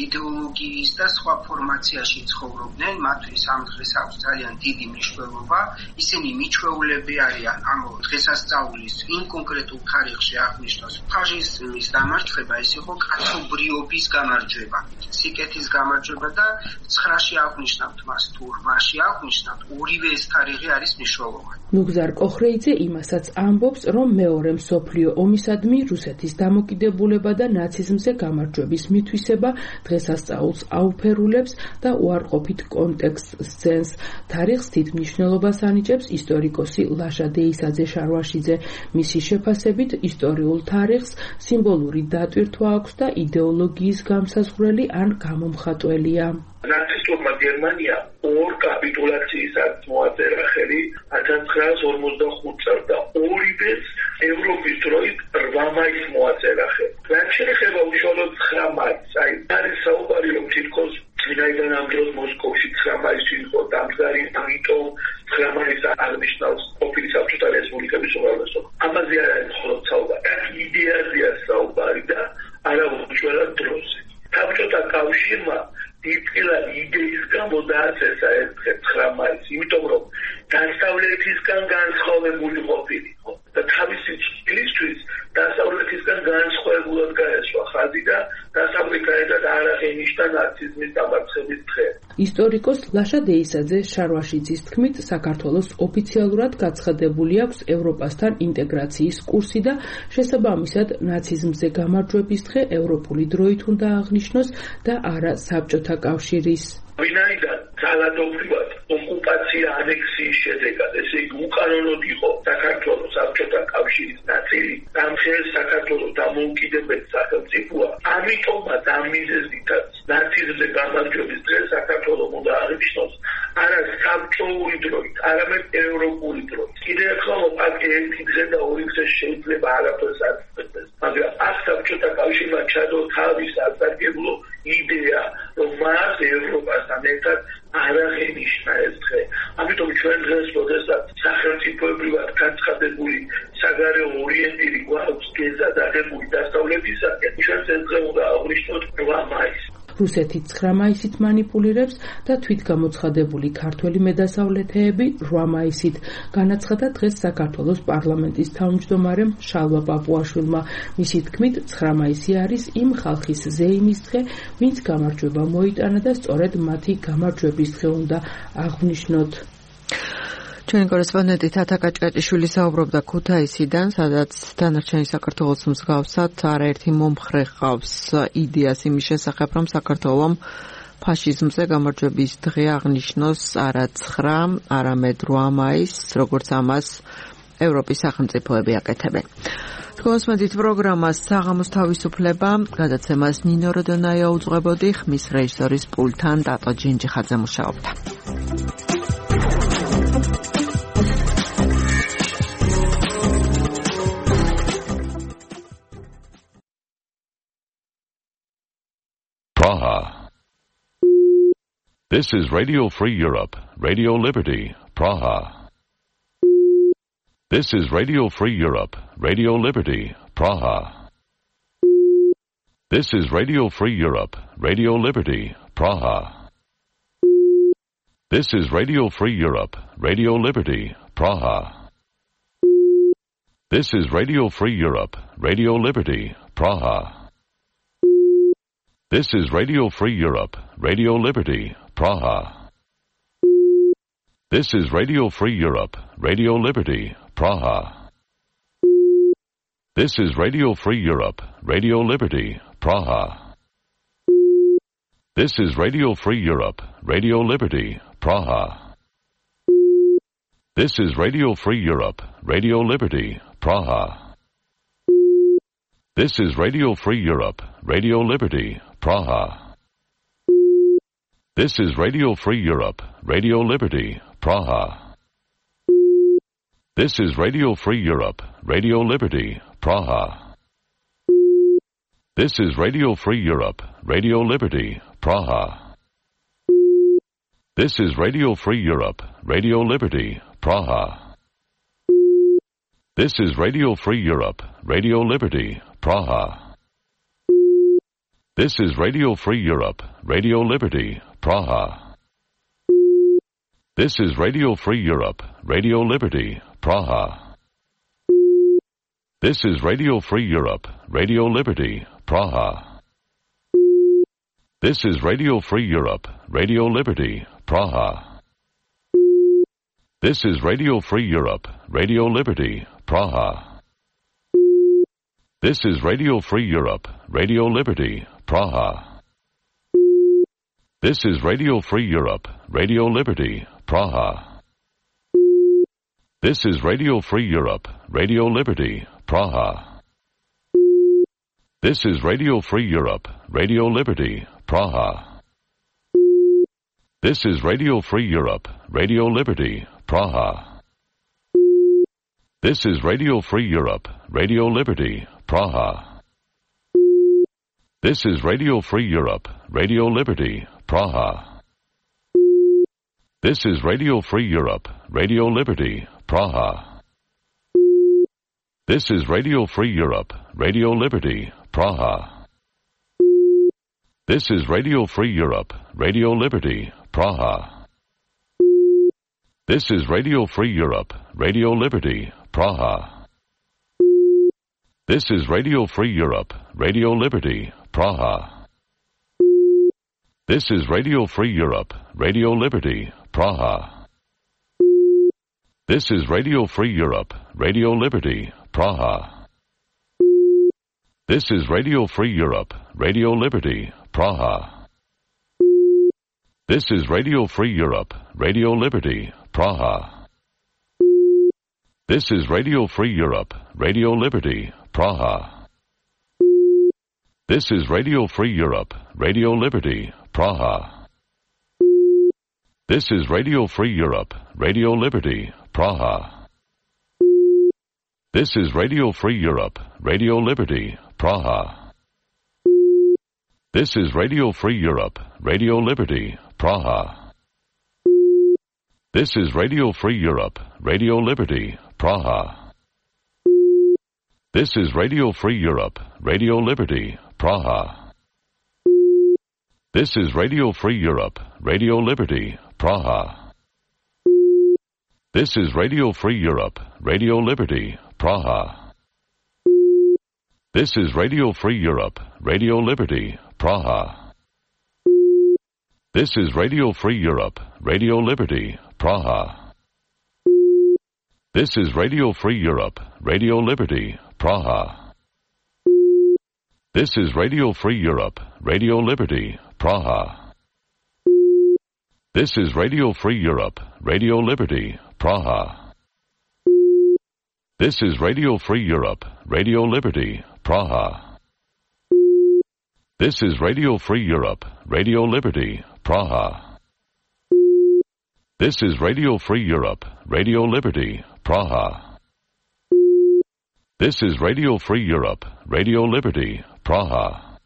იდეოლოგიის და სხვა ფორმაციაში ცხოვრობდნენ, მათთვის ამ დღეს აქვს ძალიან დიდი მნიშვნელობა. ისინი მიჩვეულები არიან ამ დღესასწაულის იმ კონკრეტულ თარიღში აღნიშნოს ფაშიზმის გამარჯვება, ეს იყო კაცობრიობის გამარჯვება, სიკეთის გამარჯვება და ცხრაში აღნიშნავთ მას თუ რვაში აღნიშნავთ, ორივე ეს თარიღი არის მნიშვნელოვანი. ნუგზარ კოხრეიძე იმასაც ამბობს, რომ მეორე მსოფლიო ომისადმი რუსეთის დამოკიდებულება და ნაციზმზე გამარჯვების მითვისება დღესასწაულს აუფერულებს და უარყოფით კონტექსტს სცენს. თარიღს დიდ მნიშვნელობას ანიჭებს ისტორიკოსი ლაშა დეისაძე შარვაშიძე. მისი შეფასებით ისტორიულ თარიღს სიმბოლური დატვირთვა აქვს და იდეოლოგიის გამსაზღვრელი ან გამომხატველია. ნაცისტურმა გერმანიამ ორ კაპიტულაციისას მოაწერა ხელი ათას ცხრაას ორმოცდახუთ წელს და ორივეს ევროპის დროით რვა მაისს მოაწერა ხელი. რაც შეეხება უშუალოდ ცხრა მაისს, აი არის საუბარი, რომ თითქოს ვინაიდან ამ დროს მოსკოვში ცხრა მაისი იყო დამდგარი, ამიტომ ცხრა მაისს აღნიშნავს ყოფილი საბჭოთა რესპუბლიკების უმრავლესობა. ამაზე არ არის მხოლოდ საუბარი, აქ იდეაზეა საუბარი და არა უშუალოდ დროზე. საბჭოთა კავშირმა დიდწილად იდეის გამო დააწესა ეს ცხრა მაისი, იმიტომ რომ დასავლეთისგან განსხვავებული ყოფილიყო და თავისი წლისთვის დასავლეთისგან განსხვავებულად გაესვა ხაზი და დასავლეთიდან არ აღენიშნა ნაციზმის დამარცხების დღე. ისტორიკოს ლაშა დეისაძე შარვაშიძის თქმით, საქართველოს ოფიციალურად გაცხადებული აქვს ევროპასთან ინტეგრაციის კურსი და შესაბამისად ნაციზმზე გამარჯვების დღე ევროპული დროით უნდა აღნიშნოს და არა საბჭოთა კავშირის. ვინაიდან ძალადობრივად ოკუპაცია ანექსიის შედეგად, ესე იგი უკანონოდ იყო საქართველოს საბჭოთა კავშირის ნაწილი, ამ ხელს საქართველოს დამოუკიდებელი სახელმწიფოა, ამიტომაც ამ მიზეზითაც ნაციზმზე გამარჯვების დღეს საქართველოს უნდა აღნიშნოს არა საბჭოური დროით, არამედ ევროპული დროით. კიდევ ერთხელ აქ ერთი დღე და ორი დღე შეიძლება არაფერს არ იწყვეტდეს, მაგრამ აქ საბჭოთა კავშირმა ჩადო თავის ასარგებლო იდეა, რომ მას ევროპასთან ერთად არ აღენიშნა ეს დღე. ამიტომ ჩვენ დღეს, როდესაც სახელმწიფოებრივად გაცხადებული საგარეო ორიენტირი გვაქვს გეზადაღებული დასავლეთისაკენ, ჩვენ ეს დღე უნდა აღნიშნოთ რვა მაისს. რუსეთი ცხრა მაისით მანიპულირებს და თვითგამოცხადებული ქართველი მედასავლეთეები რვა მაისით. განაცხადა დღეს საქართველოს პარლამენტის თავმჯდომარემ შალვა პაპუაშვილმა. მისი თქმით, ცხრა მაისი არის იმ ხალხის ზეიმის დღე, ვინც გამარჯვება მოიტანა და სწორედ მათი გამარჯვების დღე უნდა აღვნიშნოთ. ჩვენი კორესპონდენტი თათა კაჭკაჭიშვილი საუბრობდა ქუთაისიდან, სადაც დანარჩენი საქართველოს მსგავსად არაერთი მომხრე ჰყავს იდეას იმის შესახებ, რომ საქართველომ ფაშიზმზე გამარჯვების დღე აღნიშნოს არა ცხრა, არამედ რვა მაისს, როგორც ამას ევროპის სახელმწიფოები აკეთებენ. გოსმედით პროგრამას საღამოს თავისუფლება, გადაცემას ნინო როდონაია უძღვებოდი, ხმის რეჟისორის პულტთან დატო ჯინჯიხაძე მუშაობდა. Praha. This is Radio Free Europe, Radio Liberty, Praha. This is Radio Free Europe, Radio Liberty, Praha. This is Radio Free Europe, Radio Liberty, Praha. This is Radio Free Europe, Radio Liberty, Praha. This is Radio Free Europe, Radio Liberty, Praha. This is Radio Free Europe, Radio Liberty, Praha. This is Radio Free Europe, Radio Liberty, Praha. This is Radio Free Europe, Radio Liberty, Praha. This is Radio Free Europe, Radio Liberty, Praha. This is Radio Free Europe, Radio Liberty, Praha. This is Radio Free Europe, Radio Liberty, Praha. This is Radio Free Europe, Radio Liberty, Praha. This is Radio Free Europe, Radio Liberty, Praha. This is Radio Free Europe, Radio Liberty, Praha. This is Radio Free Europe, Radio Liberty, Praha. This is Radio Free Europe, Radio Liberty, Praha. This is Radio Free Europe, Radio Liberty, Praha. This is Radio Free Europe, Radio Liberty, Praha. This is Radio Free Europe, Radio Liberty, Praha. This is Radio Free Europe, Radio Liberty, Praha. This is Radio Free Europe, Radio Liberty, Praha. This is Radio Free Europe, Radio Liberty, Praha. This is Radio Free Europe, Radio Liberty, Praha. This is Radio Free Europe, Radio Liberty, Praha. This is Radio Free Europe, Radio Liberty, Praha. This is Radio Free Europe, Radio Liberty, Praha. This is Radio Free Europe, Radio Liberty, Praha. This is Radio Free Europe, Radio Liberty, Praha. This is Radio Free Europe, Radio Liberty, Praha. This is Radio Free Europe, Radio Liberty, Praha. This is Radio Free Europe, Radio Liberty, Praha. This is Radio Free Europe, Radio Liberty, Praha. This is Radio Free Europe, Radio Liberty, Praha. This is Radio Free Europe, Radio Liberty, Praha. This is Radio Free Europe, Radio Liberty, Praha. This is Radio Free Europe, Radio Liberty, Praha. This is Radio Free Europe, Radio Liberty, Praha. This is Radio Free Europe, Radio Liberty, Praha. This is Radio Free Europe, Radio Liberty, Praha. This is Radio Free Europe, Radio Liberty, Praha. This is Radio Free Europe, Radio Liberty, Praha. This is Radio Free Europe, Radio Liberty, Praha. This is Radio Free Europe, Radio Liberty, Praha. This is Radio Free Europe, Radio Liberty, Praha. This is Radio Free Europe, Radio Liberty, Praha. This is Radio Free Europe, Radio Liberty, Praha. This is Radio Free Europe, Radio Liberty, Praha. This is Radio Free Europe, Radio Liberty, Praha. This is Radio Free Europe, Radio Liberty, Praha. This is Radio Free Europe, Radio Liberty, Praha. This is Radio Free Europe, Radio Liberty, Praha. This is Radio Free Europe, Radio Liberty, Praha. This is Radio Free Europe, Radio Liberty, Praha. This is Radio Free Europe, Radio Liberty, Praha. This is Radio Free Europe, Radio Liberty, Praha.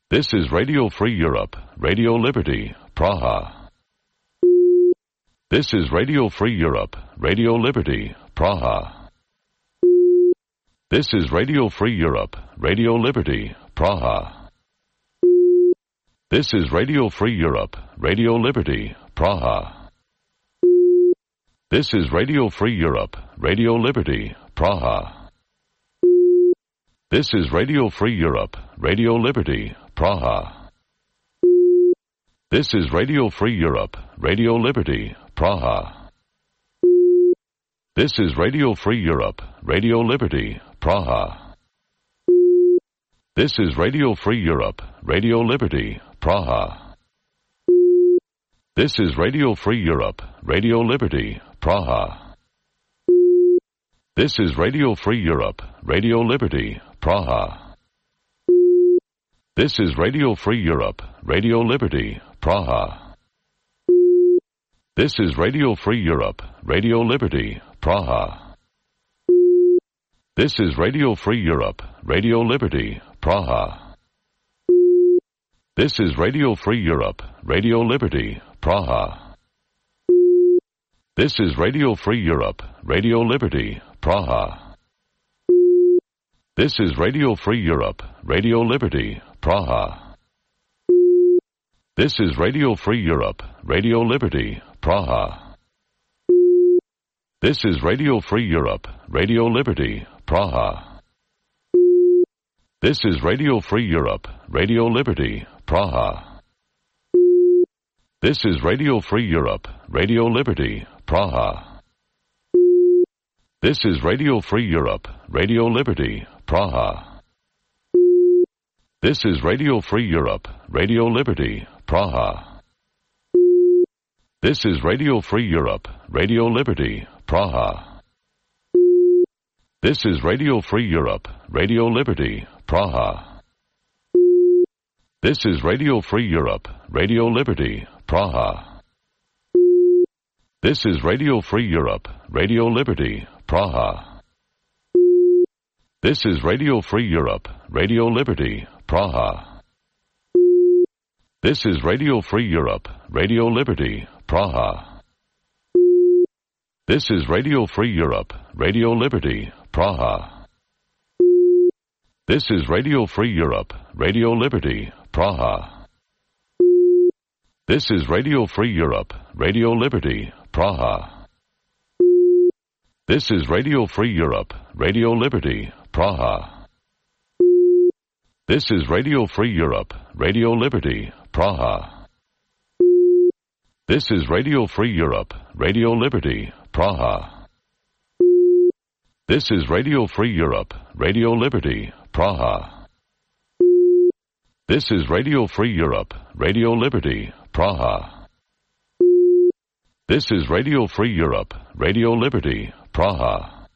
This is Radio Free Europe, Radio Liberty, Praha. This is Radio Free Europe, Radio Liberty, Praha. This is Radio Free Europe, Radio Liberty, Praha. This is Radio Free Europe, Radio Liberty, Praha. This is Radio Free Europe, Radio Liberty, Praha. This is Radio Free Europe, Radio Liberty, Praha. This is Radio Free Europe, Radio Liberty, Praha. This is Radio Free Europe, Radio Liberty, Praha. This is Radio Free Europe, Radio Liberty, Praha. This is Radio Free Europe, Radio Liberty, Praha. This is Radio Free Europe, Radio Liberty, Praha. This is Radio Free Europe, Radio Liberty, Praha. This is Radio Free Europe, Radio Liberty, Praha. This is Radio Free Europe, Radio Liberty, Praha. This is Radio Free Europe, Radio Liberty, Praha. This is Radio Free Europe, Radio Liberty, Praha. This is Radio Free Europe, Radio Liberty, Praha. This is Radio Free Europe, Radio Liberty, Praha. This is Radio Free Europe, Radio Liberty, Praha. This is Radio Free Europe, Radio Liberty, Praha. This is Radio Free Europe, Radio Liberty, Praha. This is Radio Free Europe, Radio Liberty, Praha. This is Radio Free Europe, Radio Liberty, Praha. This is Radio Free Europe, Radio Liberty, Praha. This is Radio Free Europe, Radio Liberty, Praha. This is Radio Free Europe, Radio Liberty, Praha. This is Radio Free Europe, Radio Liberty, Praha. This is Radio Free Europe, Radio Liberty, Praha. This is Radio Free Europe, Radio Liberty, Praha. This is Radio Free Europe, Radio Liberty, Praha. This is Radio Free Europe, Radio Liberty, Praha. This is Radio Free Europe, Radio Liberty, Praha. This is Radio Free Europe, Radio Liberty, Praha. This is Radio Free Europe, Radio Liberty, Praha. This is Radio Free Europe, Radio Liberty, Praha. This is Radio Free Europe, Radio Liberty, Praha. This is Radio Free Europe, Radio Liberty, Praha. This is Radio Free Europe, Radio Liberty, Praha.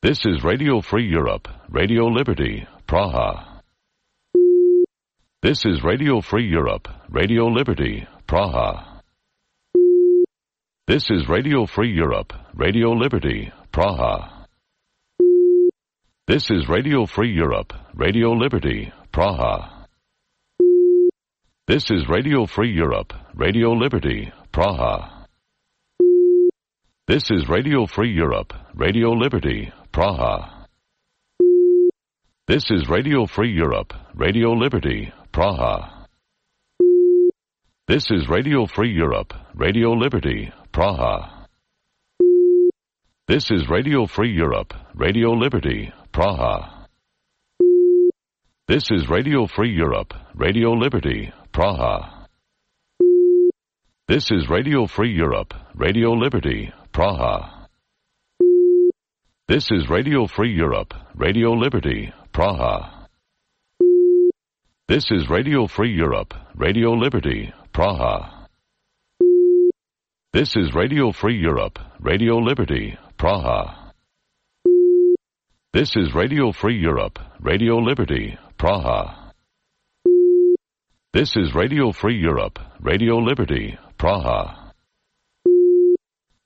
This is Radio Free Europe, Radio Liberty, Praha. This is Radio Free Europe, Radio Liberty, Praha. This is Radio Free Europe, Radio Liberty, Praha. This is Radio Free Europe, Radio Liberty, Praha. This is Radio Free Europe, Radio Liberty, Praha. This is Radio Free Europe, Radio Liberty, Praha. This is Radio Free Europe, Radio Liberty, Praha. This is Radio Free Europe, Radio Liberty, Praha. This is Radio Free Europe, Radio Liberty, Praha. This is Radio Free Europe, Radio Liberty, Praha. This is Radio Free Europe, Radio Liberty, Praha. This is Radio Free Europe, Radio Liberty, Praha. This is Radio Free Europe, Radio Liberty, Praha. This is Radio Free Europe, Radio Liberty, Praha. This is Radio Free Europe, Radio Liberty, Praha. This is Radio Free Europe, Radio Liberty, Praha.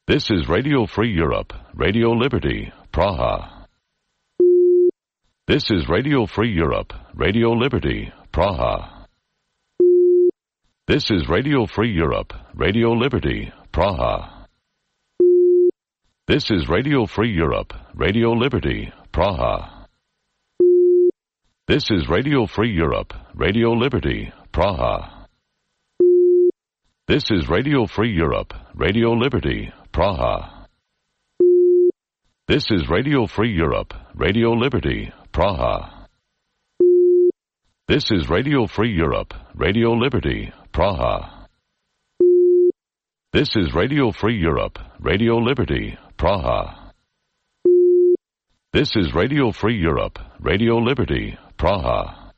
This is Radio Free Europe, Radio Liberty, Praha. This is Radio Free Europe, Radio Liberty, Praha. This is Radio Free Europe, Radio Liberty, Praha. This is Radio Free Europe, Radio Liberty, Praha. This is Radio Free Europe, Radio Liberty, Praha. This is Radio Free Europe, Radio Liberty, Praha. This is Radio Free Europe, Radio Liberty, Praha. This is Radio Free Europe, Radio Liberty, Praha. This is Radio Free Europe, Radio Liberty, Praha. This is Radio Free Europe, Radio Liberty, Praha.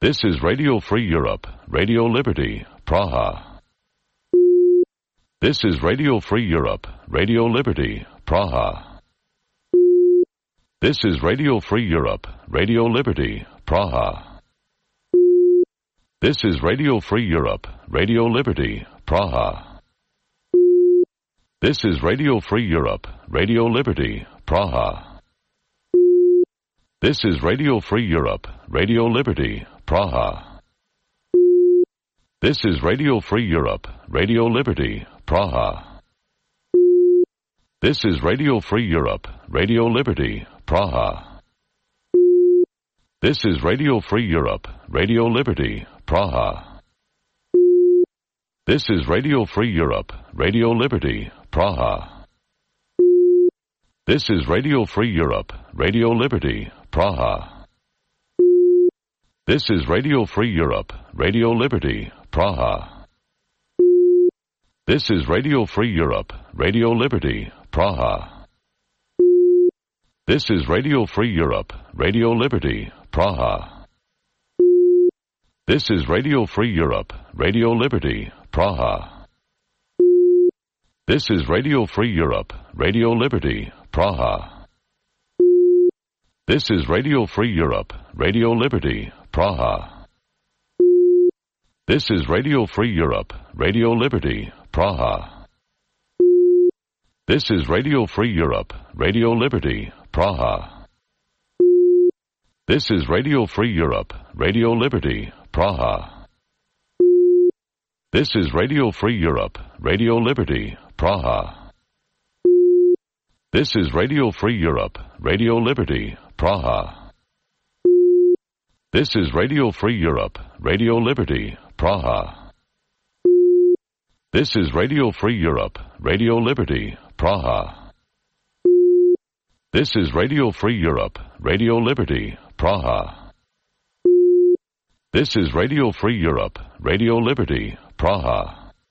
This is Radio Free Europe, Radio Liberty, Praha. This is Radio Free Europe, Radio Liberty, Praha. This is Radio Free Europe, Radio Liberty, Praha. This is Radio Free Europe, Radio Liberty, Praha. This is Radio Free Europe, Radio Liberty, Praha. This is Radio Free Europe, Radio Liberty, Praha. This is Radio Free Europe, Radio Liberty, Praha. This is Radio Free Europe, Radio Liberty, Praha. This is Radio Free Europe, Radio Liberty, Praha. This is Radio Free Europe, Radio Liberty, Praha. This is Radio Free Europe, Radio Liberty, Praha. This is Radio Free Europe, Radio Liberty, Praha. This is Radio Free Europe, Radio Liberty, Praha. This is Radio Free Europe, Radio Liberty, Praha. This is Radio Free Europe, Radio Liberty, Praha. This is Radio Free Europe, Radio Liberty, Praha. This is Radio Free Europe, Radio Liberty, Praha. This is Radio Free Europe, Radio Liberty, Praha. This is Radio Free Europe, Radio Liberty, Praha. This is Radio Free Europe, Radio Liberty, Praha. This is Radio Free Europe, Radio Liberty, Praha. This is Radio Free Europe, Radio Liberty, Praha. This is Radio Free Europe, Radio Liberty, Praha. This is Radio Free Europe, Radio Liberty, Praha. This is Radio Free Europe, Radio Liberty, Praha. This is Radio Free Europe, Radio Liberty, Praha.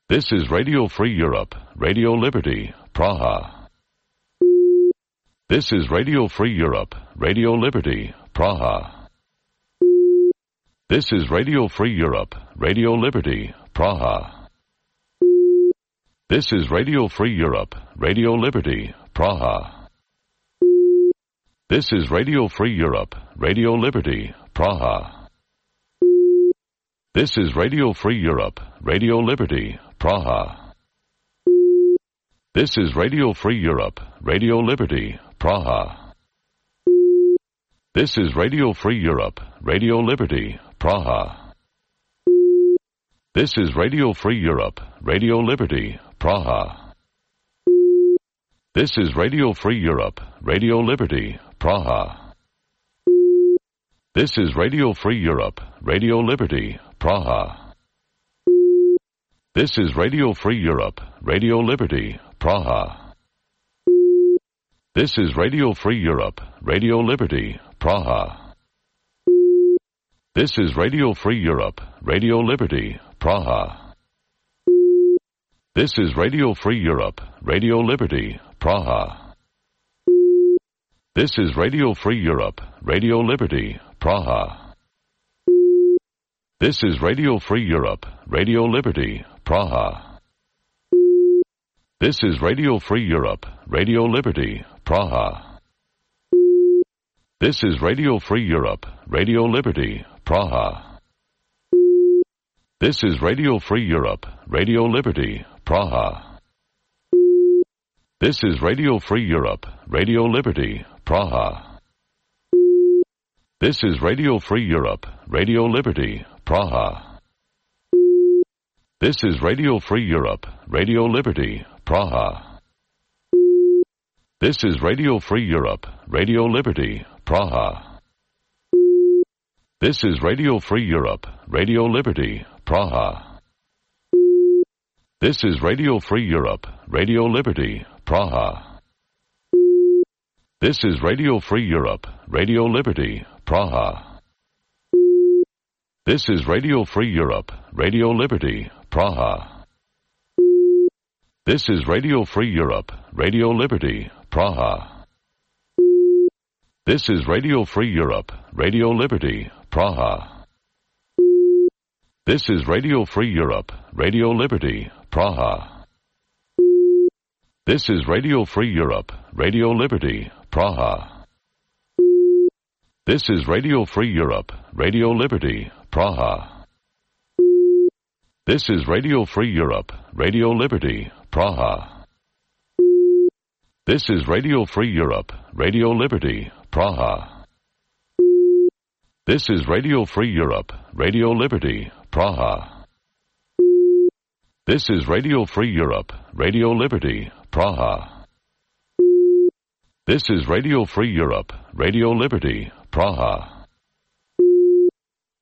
This is Radio Free Europe, Radio Liberty, Praha. This is Radio Free Europe, Radio Liberty, Praha. This is Radio Free Europe, Radio Liberty, Praha. This is Radio Free Europe, Radio Liberty, Praha. This is Radio Free Europe, Radio Liberty, Praha. This is Radio Free Europe, Radio Liberty, Praha. This is Radio Free Europe, Radio Liberty, Praha. This is Radio Free Europe, Radio Liberty, Praha. This is Radio Free Europe, Radio Liberty, Praha. This is Radio Free Europe, Radio Liberty, Praha. This is Radio Free Europe, Radio Liberty, Praha. This is Radio Free Europe, Radio Liberty, Praha. This is Radio Free Europe, Radio Liberty, Praha. This is Radio Free Europe, Radio Liberty, Praha. This is Radio Free Europe, Radio Liberty, Praha. This is Radio Free Europe, Radio Liberty, Praha. This is Radio Free Europe, Radio Liberty, Praha. This is Radio Free Europe, Radio Liberty, Praha. This is Radio Free Europe, Radio Liberty, Praha. This is Radio Free Europe, Radio Liberty, Praha. This is Radio Free Europe, Radio Liberty, Praha. This is Radio Free Europe, Radio Liberty, Praha. This is Radio Free Europe, Radio Liberty, Praha. This is Radio Free Europe, Radio Liberty, Praha. This is Radio Free Europe, Radio Liberty, Praha. This is Radio Free Europe, Radio Liberty, Praha. This is Radio Free Europe, Radio Liberty, Praha. This is Radio Free Europe, Radio Liberty, Praha. This is Radio Free Europe, Radio Liberty, Praha. This is Radio Free Europe, Radio Liberty, Praha. This is Radio Free Europe, Radio Liberty, Praha. This is Radio Free Europe, Radio Liberty, Praha. This is Radio Free Europe, Radio Liberty, Praha. This is Radio Free Europe, Radio Liberty, Praha. This is Radio Free Europe, Radio Liberty, Praha. This is Radio Free Europe, Radio Liberty, Praha. This is Radio Free Europe, Radio Liberty, Praha. This is Radio Free Europe, Radio Liberty, Praha.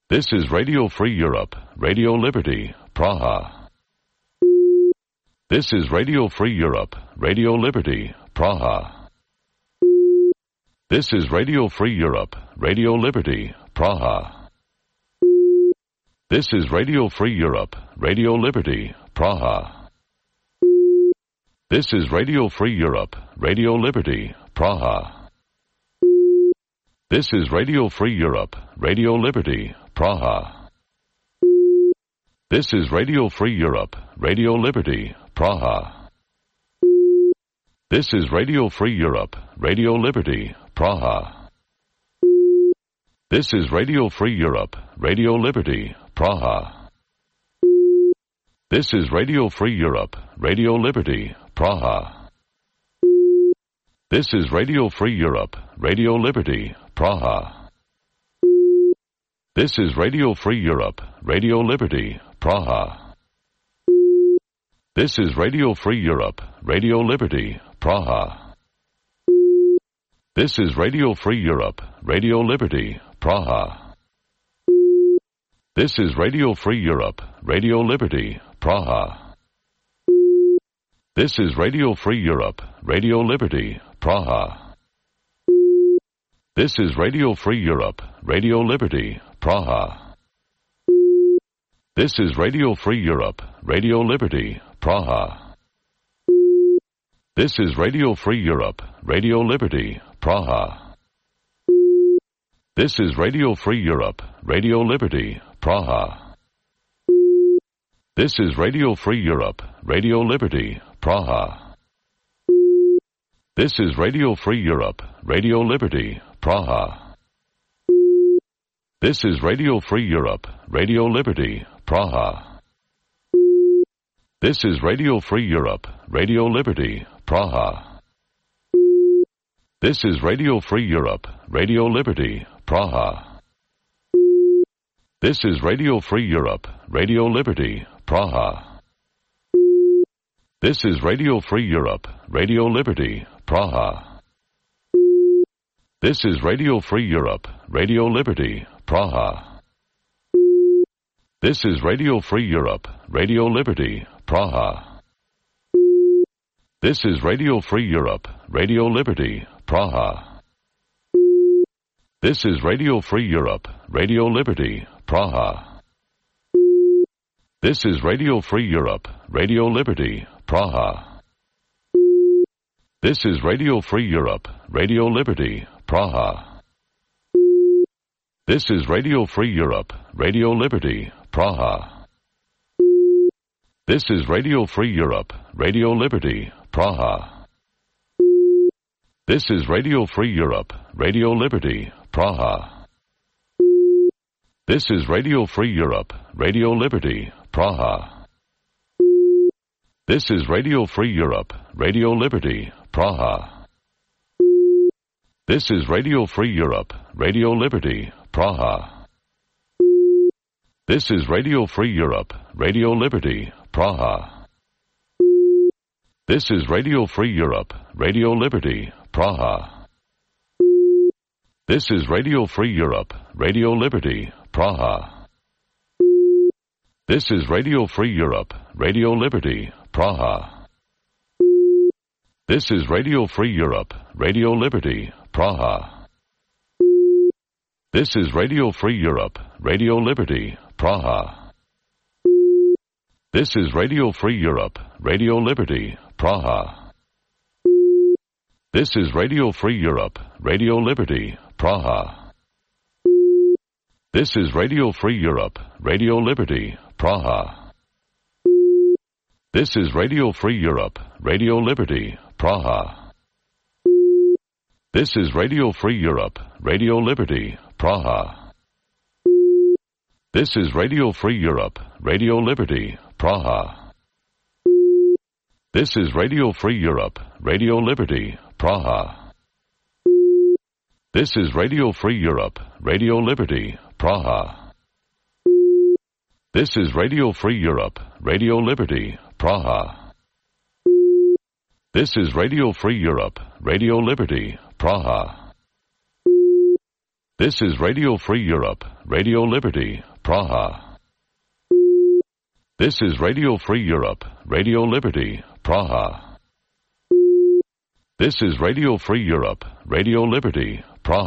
This is Radio Free Europe, Radio Liberty, Praha. This is Radio Free Europe, Radio Liberty, Praha. This is Radio Free Europe, Radio Liberty, Praha. This is Radio Free Europe, Radio Liberty, Praha. This is Radio Free Europe, Radio Liberty, Praha. This is Radio Free Europe, Radio Liberty, Praha. This is Radio Free Europe, Radio Liberty, Praha. This is Radio Free Europe, Radio Liberty, Praha. This is Radio Free Europe, Radio Liberty, Praha. This is Radio Free Europe, Radio Liberty, Praha. This is Radio Free Europe, Radio Liberty, Praha. This is Radio Free Europe, Radio Liberty, Praha. This is Radio Free Europe, Radio Liberty, Praha. This is Radio Free Europe, Radio Liberty, Praha. This is Radio Free Europe, Radio Liberty, Praha. This is Radio Free Europe, Radio Liberty, Praha. This is Radio Free Europe, Radio Liberty, Praha. This is Radio Free Europe, Radio Liberty, Praha. This is Radio Free Europe, Radio Liberty, Praha. This is Radio Free Europe, Radio Liberty, Praha. This is Radio Free Europe, Radio Liberty, Praha. This is Radio Free Europe, Radio Liberty, Praha. This is Radio Free Europe, Radio Liberty, Praha. This is Radio Free Europe, Radio Liberty, Praha. This is Radio Free Europe, Radio Liberty, Praha. This is Radio Free Europe, Radio Liberty, Praha. This is Radio Free Europe, Radio Liberty, Praha. This is Radio Free Europe, Radio Liberty, Praha. This is Radio Free Europe, Radio Liberty, Praha. This is Radio Free Europe, Radio Liberty, Praha. This is Radio Free Europe, Radio Liberty, Praha. This is Radio Free Europe, Radio Liberty, Praha. This is Radio Free Europe, Radio Liberty, Praha. This is Radio Free Europe, Radio Liberty, Praha. This is Radio Free Europe, Radio Liberty, Praha. This is Radio Free Europe, Radio Liberty, Praha. This is Radio Free Europe, Radio Liberty, Praha. This is Radio Free Europe, Radio Liberty, Praha. This is Radio Free Europe, Radio Liberty, Praha. This is Radio Free Europe, Radio Liberty, Praha. This is Radio Free Europe, Radio Liberty, Praha. This is Radio Free Europe, Radio Liberty, Praha. This is Radio Free Europe, Radio Liberty, Praha. This is Radio Free Europe, Radio Liberty, Praha. This is Radio Free Europe, Radio Liberty, Praha. This is Radio Free Europe, Radio Liberty, Praha. This is Radio Free Europe, Radio Liberty, Praha. This is Radio Free Europe, Radio Liberty, Praha. This is Radio Free Europe, Radio Liberty, Praha. This is Radio Free Europe, Radio Liberty, Praha. This is Radio Free Europe, Radio Liberty, Praha. This is Radio Free Europe, Radio Liberty, Praha. This is Radio Free Europe, Radio Liberty, Praha. This is Radio Free Europe, Radio Liberty, Praha. This is Radio Free Europe, Radio Liberty, Praha. This is Radio Free Europe, Radio Liberty, Praha. This is Radio Free Europe, Radio Liberty,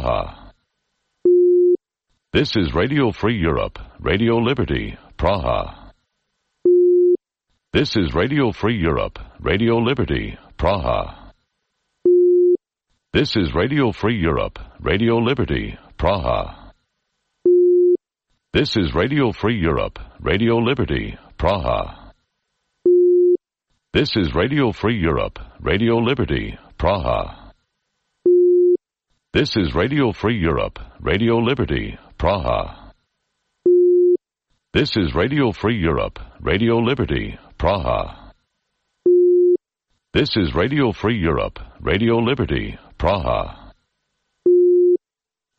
Praha. This is Radio Free Europe, Radio Liberty, Praha. This is Radio Free Europe, Radio Liberty, Praha. This is Radio Free Europe, Radio Liberty, Praha. This is Radio Free Europe, Radio Liberty, Praha. This is Radio Free Europe, Radio Liberty, Praha. This is Radio Free Europe, Radio Liberty, Praha. This is Radio Free Europe, Radio Liberty, Praha. This is Radio Free Europe, Radio Liberty, Praha. This is Radio Free Europe, Radio Liberty, Praha.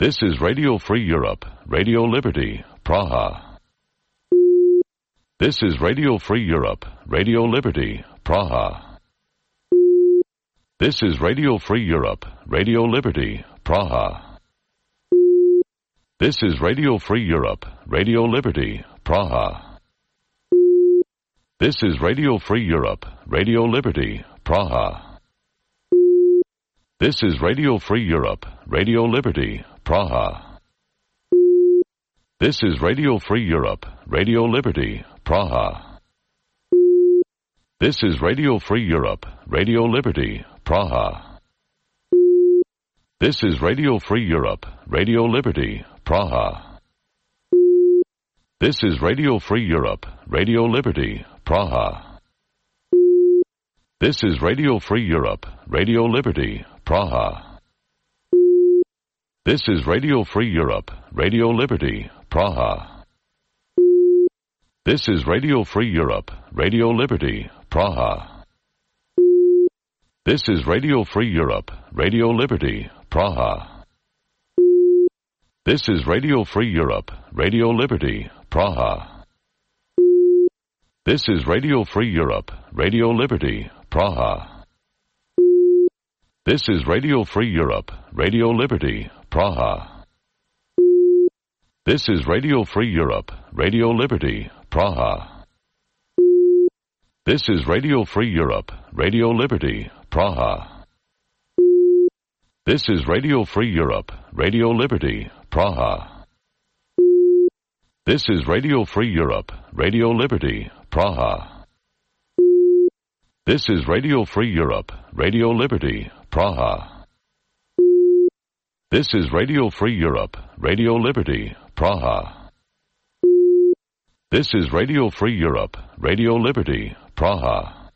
This is Radio Free Europe, Radio Liberty, Praha. This is Radio Free Europe, Radio Liberty, Praha. This is Radio Free Europe, Radio Liberty, Praha. This is Radio Free Europe, Radio Liberty, Praha. This is Radio Free Europe, Radio Liberty, Praha. This is Radio Free Europe, Radio Liberty, Praha. This is Radio Free Europe, Radio Liberty, Praha. This is Radio Free Europe, Radio Liberty, Praha. This is Radio Free Europe, Radio Liberty, Praha. This is Radio Free Europe, Radio Liberty, Praha. This is Radio Free Europe, Radio Liberty, Praha. This is Radio Free Europe, Radio Liberty, Praha. This is Radio Free Europe, Radio Liberty, Praha. This is Radio Free Europe, Radio Liberty, Praha. This is Radio Free Europe, Radio Liberty, Praha. This is Radio Free Europe, Radio Liberty, Praha. This is Radio Free Europe, Radio Liberty, Praha. This is Radio Free Europe, Radio Liberty, Praha. This is Radio Free Europe, Radio Liberty, Praha. This is Radio Free Europe, Radio Liberty, Praha. This is Radio Free Europe, Radio Liberty, Praha. This is Radio Free Europe, Radio Liberty, Praha. This is Radio Free Europe, Radio Liberty, Praha. This is Radio Free Europe, Radio Liberty, Praha.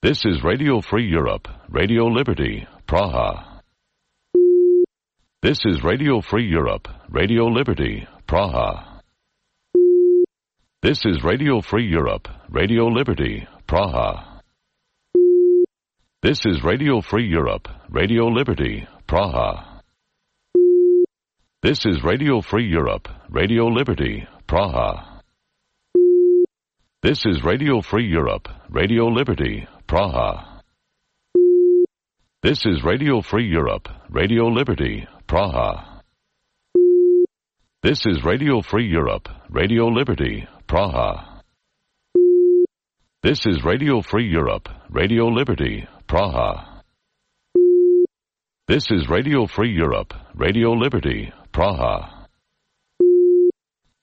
This is Radio Free Europe, Radio Liberty, Praha. This is Radio Free Europe, Radio Liberty, Praha. This is Radio Free Europe, Radio Liberty, Praha. This is Radio Free Europe, Radio Liberty, Praha. This is Radio Free Europe, Radio Liberty, Praha. This is Radio Free Europe, Radio Liberty, Praha. This is Radio Free Europe, Radio Liberty, Praha. This is Radio Free Europe, Radio Liberty, Praha. This is Radio Free Europe, Radio Liberty, Praha. This is Radio Free Europe, Radio Liberty, Praha.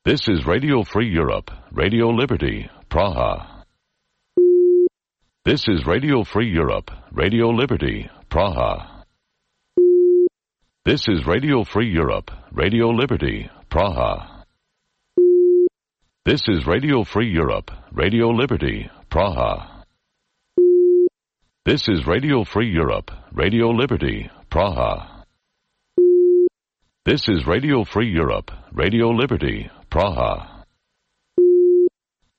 This is Radio Free Europe, Radio Liberty, Praha. This is Radio Free Europe, Radio Liberty, Praha. This is Radio Free Europe, Radio Liberty, Praha. This is Radio Free Europe, Radio Liberty, Praha. This is Radio Free Europe, Radio Liberty, Praha. This is Radio Free Europe, Radio Liberty, Praha.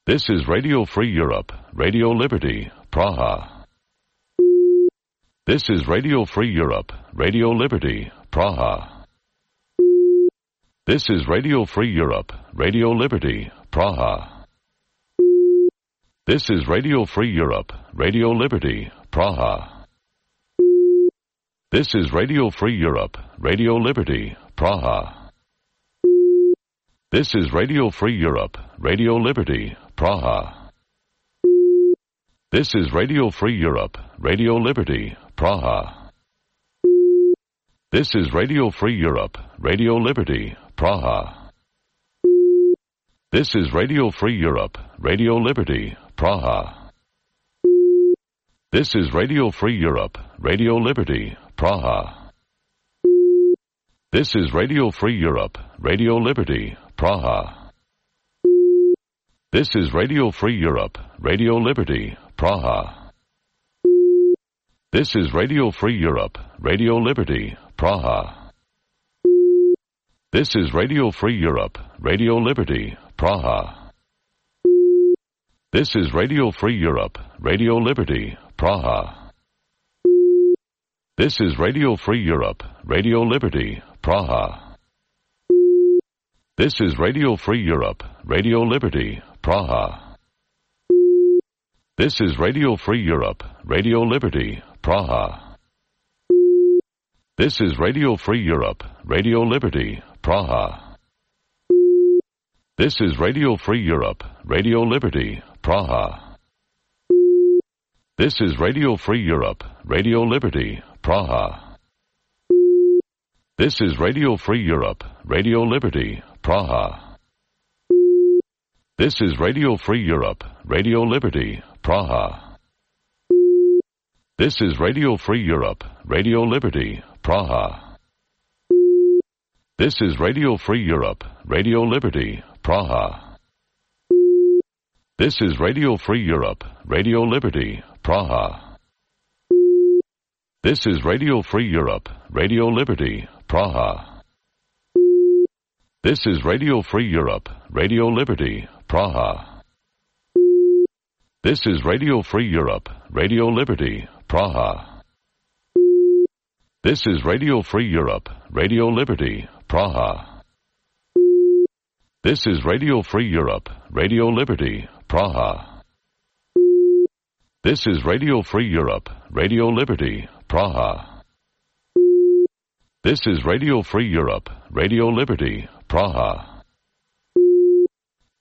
This is Radio Free Europe, Radio Liberty, Praha. This is Radio Free Europe, Radio Liberty, Praha. This is Radio Free Europe, Radio Liberty, Praha. This is Radio Free Europe, Radio Liberty, Praha. This is Radio Free Europe, Radio Liberty, Praha. This is Radio Free Europe, Radio Liberty, Praha. This is Radio Free Europe, Radio Liberty, Praha. This is Radio Free Europe, Radio Liberty, Praha. This is Radio Free Europe, Radio Liberty, Praha. This is Radio Free Europe, Radio Liberty, Praha. This is Radio Free Europe, Radio Liberty, Praha. This is Radio Free Europe, Radio Liberty, Praha. This is Radio Free Europe, Radio Liberty, Praha. This is Radio Free Europe, Radio Liberty, Praha. This is Radio Free Europe, Radio Liberty, Praha. This is Radio Free Europe, Radio Liberty, Praha. This is Radio Free Europe, Radio Liberty, Praha. This is Radio Free Europe, Radio Liberty, Praha. This is Radio Free Europe, Radio Liberty, Praha. This is Radio Free Europe, Radio Liberty, Praha. This is Radio Free Europe, Radio Liberty, Praha. This is Radio Free Europe, Radio Liberty, Praha. This is Radio Free Europe, Radio Liberty, Praha. This is Radio Free Europe, Radio Liberty, Praha. This is Radio Free Europe, Radio Liberty, Praha. This is Radio Free Europe, Radio Liberty, Praha. This is Radio Free Europe, Radio Liberty, Praha. This is Radio Free Europe, Radio Liberty, Praha. This is Radio Free Europe, Radio Liberty, Praha. This is Radio Free Europe, Radio Liberty, Praha. This is Radio Free Europe, Radio Liberty, Praha. This is Radio Free Europe, Radio Liberty, Praha. This is Radio Free Europe, Radio Liberty, Praha.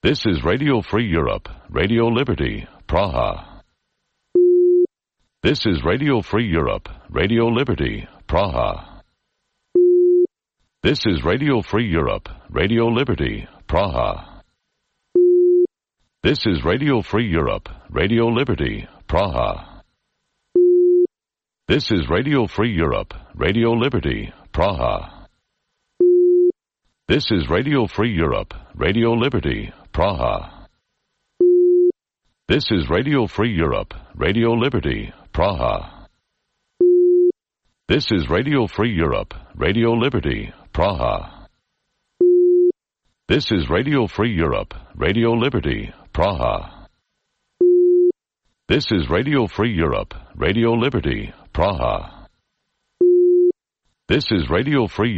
This is Radio Free Europe, Radio Liberty, Praha. This is Radio Free Europe, Radio Liberty, Praha. This is Radio Free Europe, Radio Liberty, Praha. This is Radio Free Europe, Radio Liberty, Praha. This is Radio Free Europe, Radio Liberty, Praha. This is Radio Free Europe, Radio Liberty, Praha. This is Radio Free Europe, Radio Liberty, Praha. This is Radio Free Europe, Radio Liberty, Praha. This is Radio Free Europe, Radio Liberty, Praha. This is Radio Free Europe, Radio Liberty, Praha. This is Radio Free